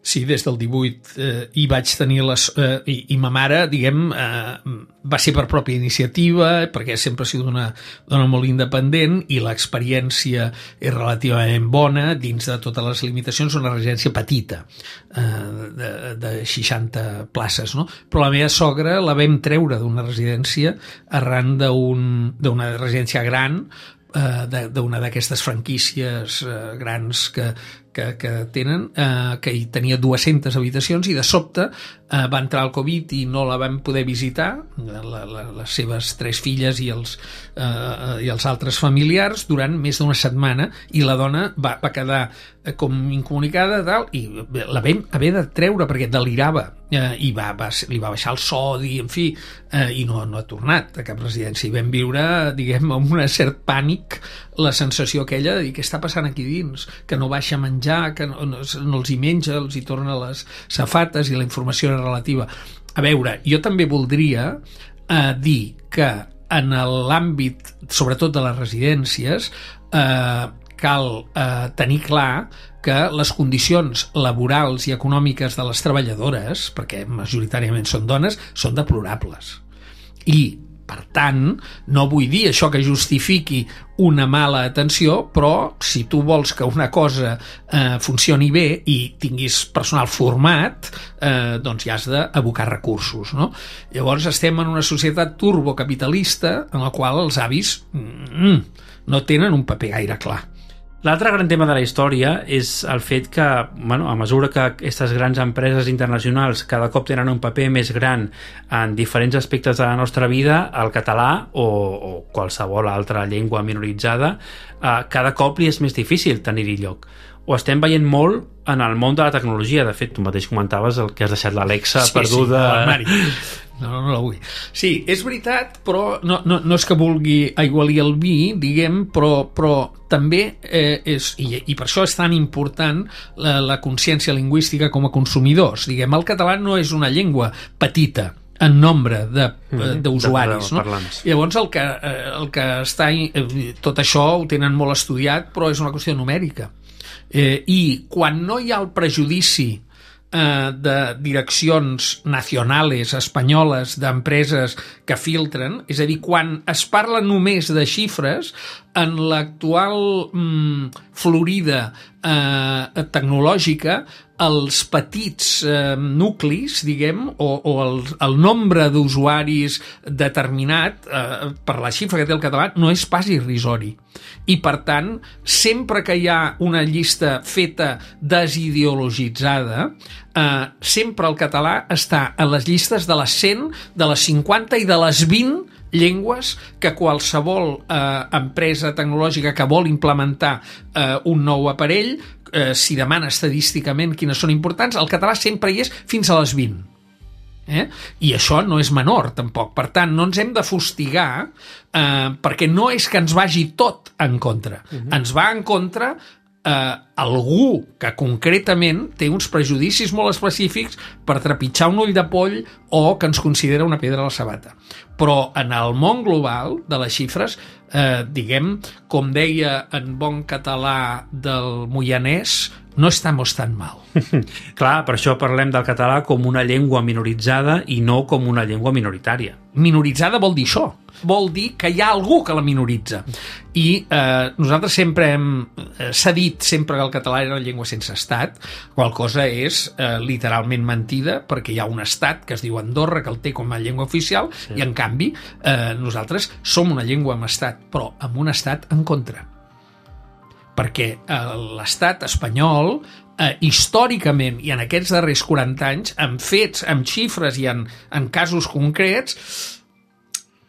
Speaker 4: Sí, des del divuit eh, hi vaig tenir les... Eh, i, i ma mare, diguem, eh, va ser per pròpia iniciativa, perquè sempre ha sigut una dona molt independent i l'experiència és relativament bona dins de totes les limitacions, una residència petita, eh, de, de seixanta places, no? Però la meva sogra la vam treure d'una residència arran d'una residència gran, eh, d'una d'aquestes franquícies eh, grans que Que, que tenen, eh, que hi tenia dues-centes habitacions i de sobte eh, va entrar el Covid i no la vam poder visitar, la, la, les seves tres filles i els, eh, i els altres familiars durant més d'una setmana i la dona va, va quedar eh, com incomunicada tal, i la vam haver de treure perquè delirava eh, i va, va, li va baixar el sodi, en fi, eh, i no, no ha tornat a cap residència i vam viure, diguem, amb un cert pànic la sensació aquella de dir què està passant aquí dins, que no baixa a menjar, que no, no, no els hi menja, els hi torna les safates i la informació era relativa. A veure, jo també voldria eh, dir que en l'àmbit, sobretot de les residències, eh, cal eh, tenir clar que les condicions laborals i econòmiques de les treballadores, perquè majoritàriament són dones, són deplorables. I per tant, no vull dir això que justifiqui una mala atenció, però si tu vols que una cosa eh, funcioni bé i tinguis personal format, eh, doncs ja has d'abocar recursos, no? Llavors estem en una societat turbocapitalista en la qual els avis mm, no tenen un paper gaire clar.
Speaker 11: L'altre gran tema de la història és el fet que, bueno, a mesura que aquestes grans empreses internacionals cada cop tenen un paper més gran en diferents aspectes de la nostra vida, el català o, o qualsevol altra llengua minoritzada, eh, cada cop li és més difícil tenir-hi lloc. Ho estem veient molt en el món de la tecnologia. De fet, tu mateix comentaves el que has deixat l'Alexa
Speaker 4: sí,
Speaker 11: perduda.
Speaker 4: Sí, no, no, no la vull. Sí, és veritat, però no, no, no és que vulgui aigualir el vi, diguem, però, però també eh, és, i, i per això és tan important la, la consciència lingüística com a consumidors. Diguem, el català no és una llengua petita en nombre d'usuaris, no? Llavors el que, el que està, tot això ho tenen molt estudiat, però és una qüestió numèrica. Eh, i quan no hi ha el prejudici eh, de direccions nacionals espanyoles d'empreses que filtren, és a dir, quan es parla només de xifres, en l'actual mm, florida eh, tecnològica, els petits eh, nuclis, diguem, o, o el, el nombre d'usuaris determinat eh, per la xifra que té el català no és pas irrisori. I, per tant, sempre que hi ha una llista feta desideologitzada, eh, sempre el català està a les llistes de les cent, de les cinquanta i de les vint llengües que qualsevol eh, empresa tecnològica que vol implementar eh, un nou aparell, eh, si demana estadísticament quines són importants, el català sempre hi és fins a les vint. Eh? I això no és menor, tampoc. Per tant, no ens hem de fustigar eh, perquè no és que ens vagi tot en contra. Uh-huh. Ens va en contra eh, algú que concretament té uns prejudicis molt específics per trepitjar un ull de poll o que ens considera una pedra a la sabata. Però en el món global de les xifres eh, diguem, com deia en bon català del Moianès, no estamos tan mal.
Speaker 11: Clar, per això parlem del català com una llengua minoritzada i no com una llengua minoritària.
Speaker 4: Minoritzada vol dir això. Vol dir que hi ha algú que la minoritza. I eh, nosaltres sempre hem... Eh, s'ha dit sempre que el català era una llengua sense estat, qual cosa és eh, literalment mentida, perquè hi ha un estat que es diu Andorra, que el té com a llengua oficial, sí. I en canvi eh, nosaltres som una llengua amb estat, però amb un estat en contra. Perquè eh, l'estat espanyol, eh, històricament i en aquests darrers quaranta anys, amb fets, amb xifres i en, en casos concrets,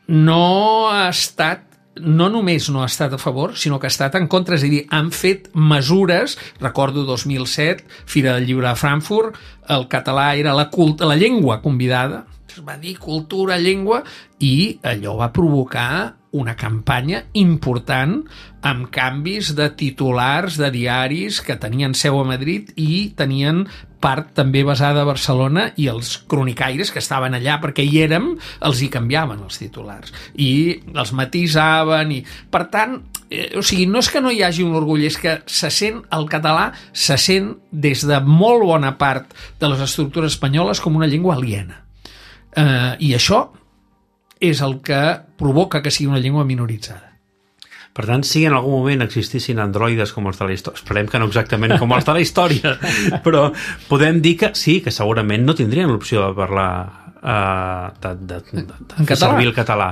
Speaker 4: no ha estat, no només no ha estat a favor, sinó que ha estat en contra, és a dir, han fet mesures, recordo dos mil set, Fira del Llibre de Frankfurt, el català era la, cult, la llengua convidada, es va dir cultura, llengua, i allò va provocar una campanya important amb canvis de titulars de diaris que tenien seu a Madrid i tenien part també basada a Barcelona, i els cronicaires que estaven allà perquè hi érem els hi canviaven els titulars i els matisaven i, per tant, eh, o sigui, no és que no hi hagi un orgull, és que se sent, el català se sent des de molt bona part de les estructures espanyoles com una llengua aliena, eh, i això és el que provoca que sigui una llengua minoritzada.
Speaker 11: Per tant, si en algun moment existissin androides com els de la història, esperem que no exactament com els de la història, però podem dir que sí, que segurament no tindrien l'opció de parlar uh, de, de, de, de fer servir el català.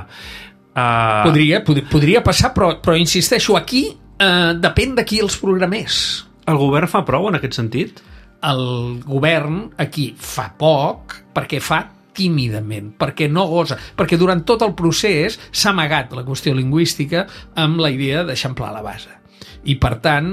Speaker 11: Uh...
Speaker 4: Podria, pod podria passar, però, però insisteixo, aquí uh, depèn de qui els programés.
Speaker 11: El govern fa prou en aquest sentit?
Speaker 4: El govern aquí fa poc, perquè fa tímidament, perquè no gosa, perquè durant tot el procés s'ha amagat la qüestió lingüística amb la idea d'eixamplar la base. I, per tant,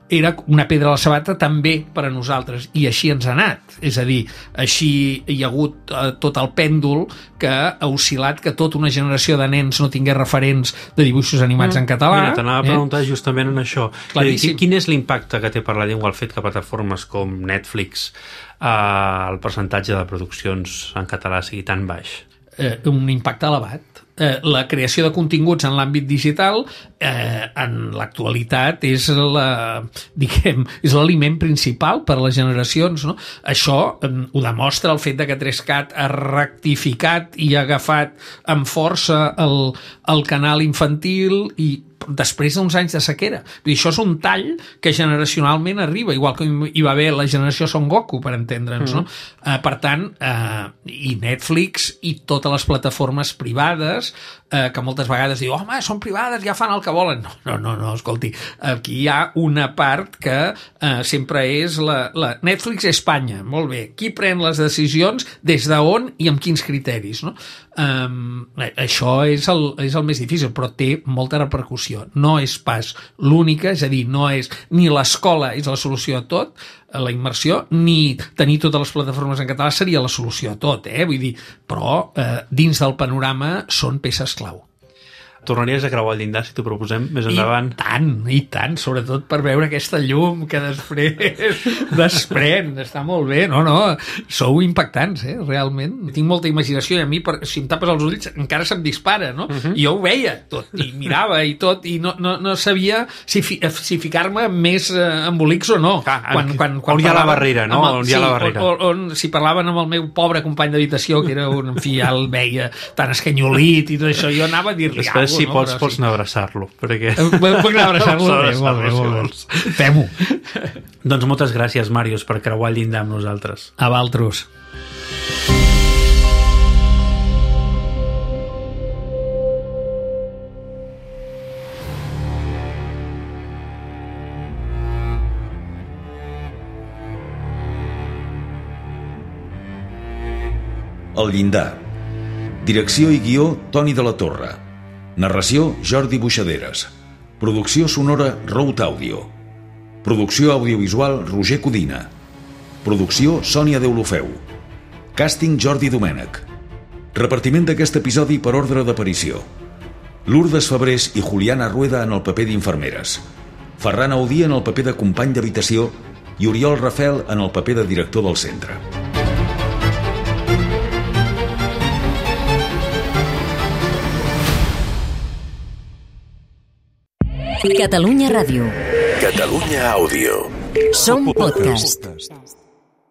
Speaker 4: era una pedra a la sabata també per a nosaltres, i així ens ha anat. És a dir, així hi ha hagut eh, tot el pèndol que ha oscil·lat que tota una generació de nens no tingués referents de dibuixos animats mm. en català.
Speaker 11: Mira, t'anava a preguntar eh? justament en això.
Speaker 4: Claríssim.
Speaker 11: Quin és l'impacte que té per la llengua el fet que plataformes com Netflix eh, el percentatge de produccions en català sigui tan baix?
Speaker 4: Eh, un impacte elevat. Eh, la creació de continguts en l'àmbit digital eh, en l'actualitat és la, diguem, és l'aliment principal per a les generacions, no? Això eh, ho demostra el fet de que Trescat ha rectificat i ha agafat amb força el, el canal infantil i després d'uns anys de sequera. Vull dir, això és un tall que generacionalment arriba, igual que hi va haver la generació Son Goku, per entendre'ns, mm. no? Eh, per tant, eh, i Netflix i totes les plataformes privades, eh, que moltes vegades diu, home, són privades, ja fan el que volen. No, no, no, no escolti, aquí hi ha una part que eh, sempre és la, la Netflix Espanya, molt bé, qui pren les decisions, des d'on i amb quins criteris, no? Um, això és el, és el més difícil, però té molta repercussió. No és pas l'única, és a dir, no és ni l'escola és la solució a tot, la immersió, ni tenir totes les plataformes en català seria la solució a tot, eh? Vull dir, però eh, dins del panorama són peces clau.
Speaker 11: Tornaries a creuar el llindar si t'ho proposem més endavant?
Speaker 4: I tant, i tant, sobretot per veure aquesta llum que després desprèn, està molt bé, no, no, sou impactants, eh, realment. Tinc molta imaginació i a mi, per, si em tapes els ulls, encara se'm dispara, no? Uh-huh. I jo ho veia tot, i mirava i tot, i no, no, no sabia si, fi, si ficar-me més eh, embolics o no.
Speaker 11: Ah, quan, quan, quan on hi ha la barrera, no?
Speaker 4: El,
Speaker 11: on hi ha
Speaker 4: sí,
Speaker 11: la barrera.
Speaker 4: On, on, si parlaven amb el meu pobre company d'habitació, que era un, en fi, ja el veia tan escanyolit i tot això, jo anava a dir-li alguna cosa.
Speaker 11: Si
Speaker 4: no?
Speaker 11: pots, Però pots sí. anar a abraçar-lo. Perquè...
Speaker 4: Puc anar a abraçar-lo? Bé, molt bé, molt bé. Fem-ho.
Speaker 11: Doncs moltes gràcies, Màrius, per creuar el llindar amb nosaltres.
Speaker 4: A valtros.
Speaker 3: El llindar. Direcció i guió, Toni de la Torre. Narració, Jordi Buixaderes. Producció sonora, Road Audio. Producció audiovisual, Roger Codina. Producció, Sònia Deulofeu. Càsting, Jordi Domènech. Repartiment d'aquest episodi per ordre d'aparició. Lourdes Fabrés i Juliana Rueda en el paper d'infermeres. Ferran Audí en el paper de company d'habitació i Oriol Rafel en el paper de director del centre.
Speaker 1: Catalunya Ràdio.
Speaker 2: Catalunya Àudio.
Speaker 1: Som podcast.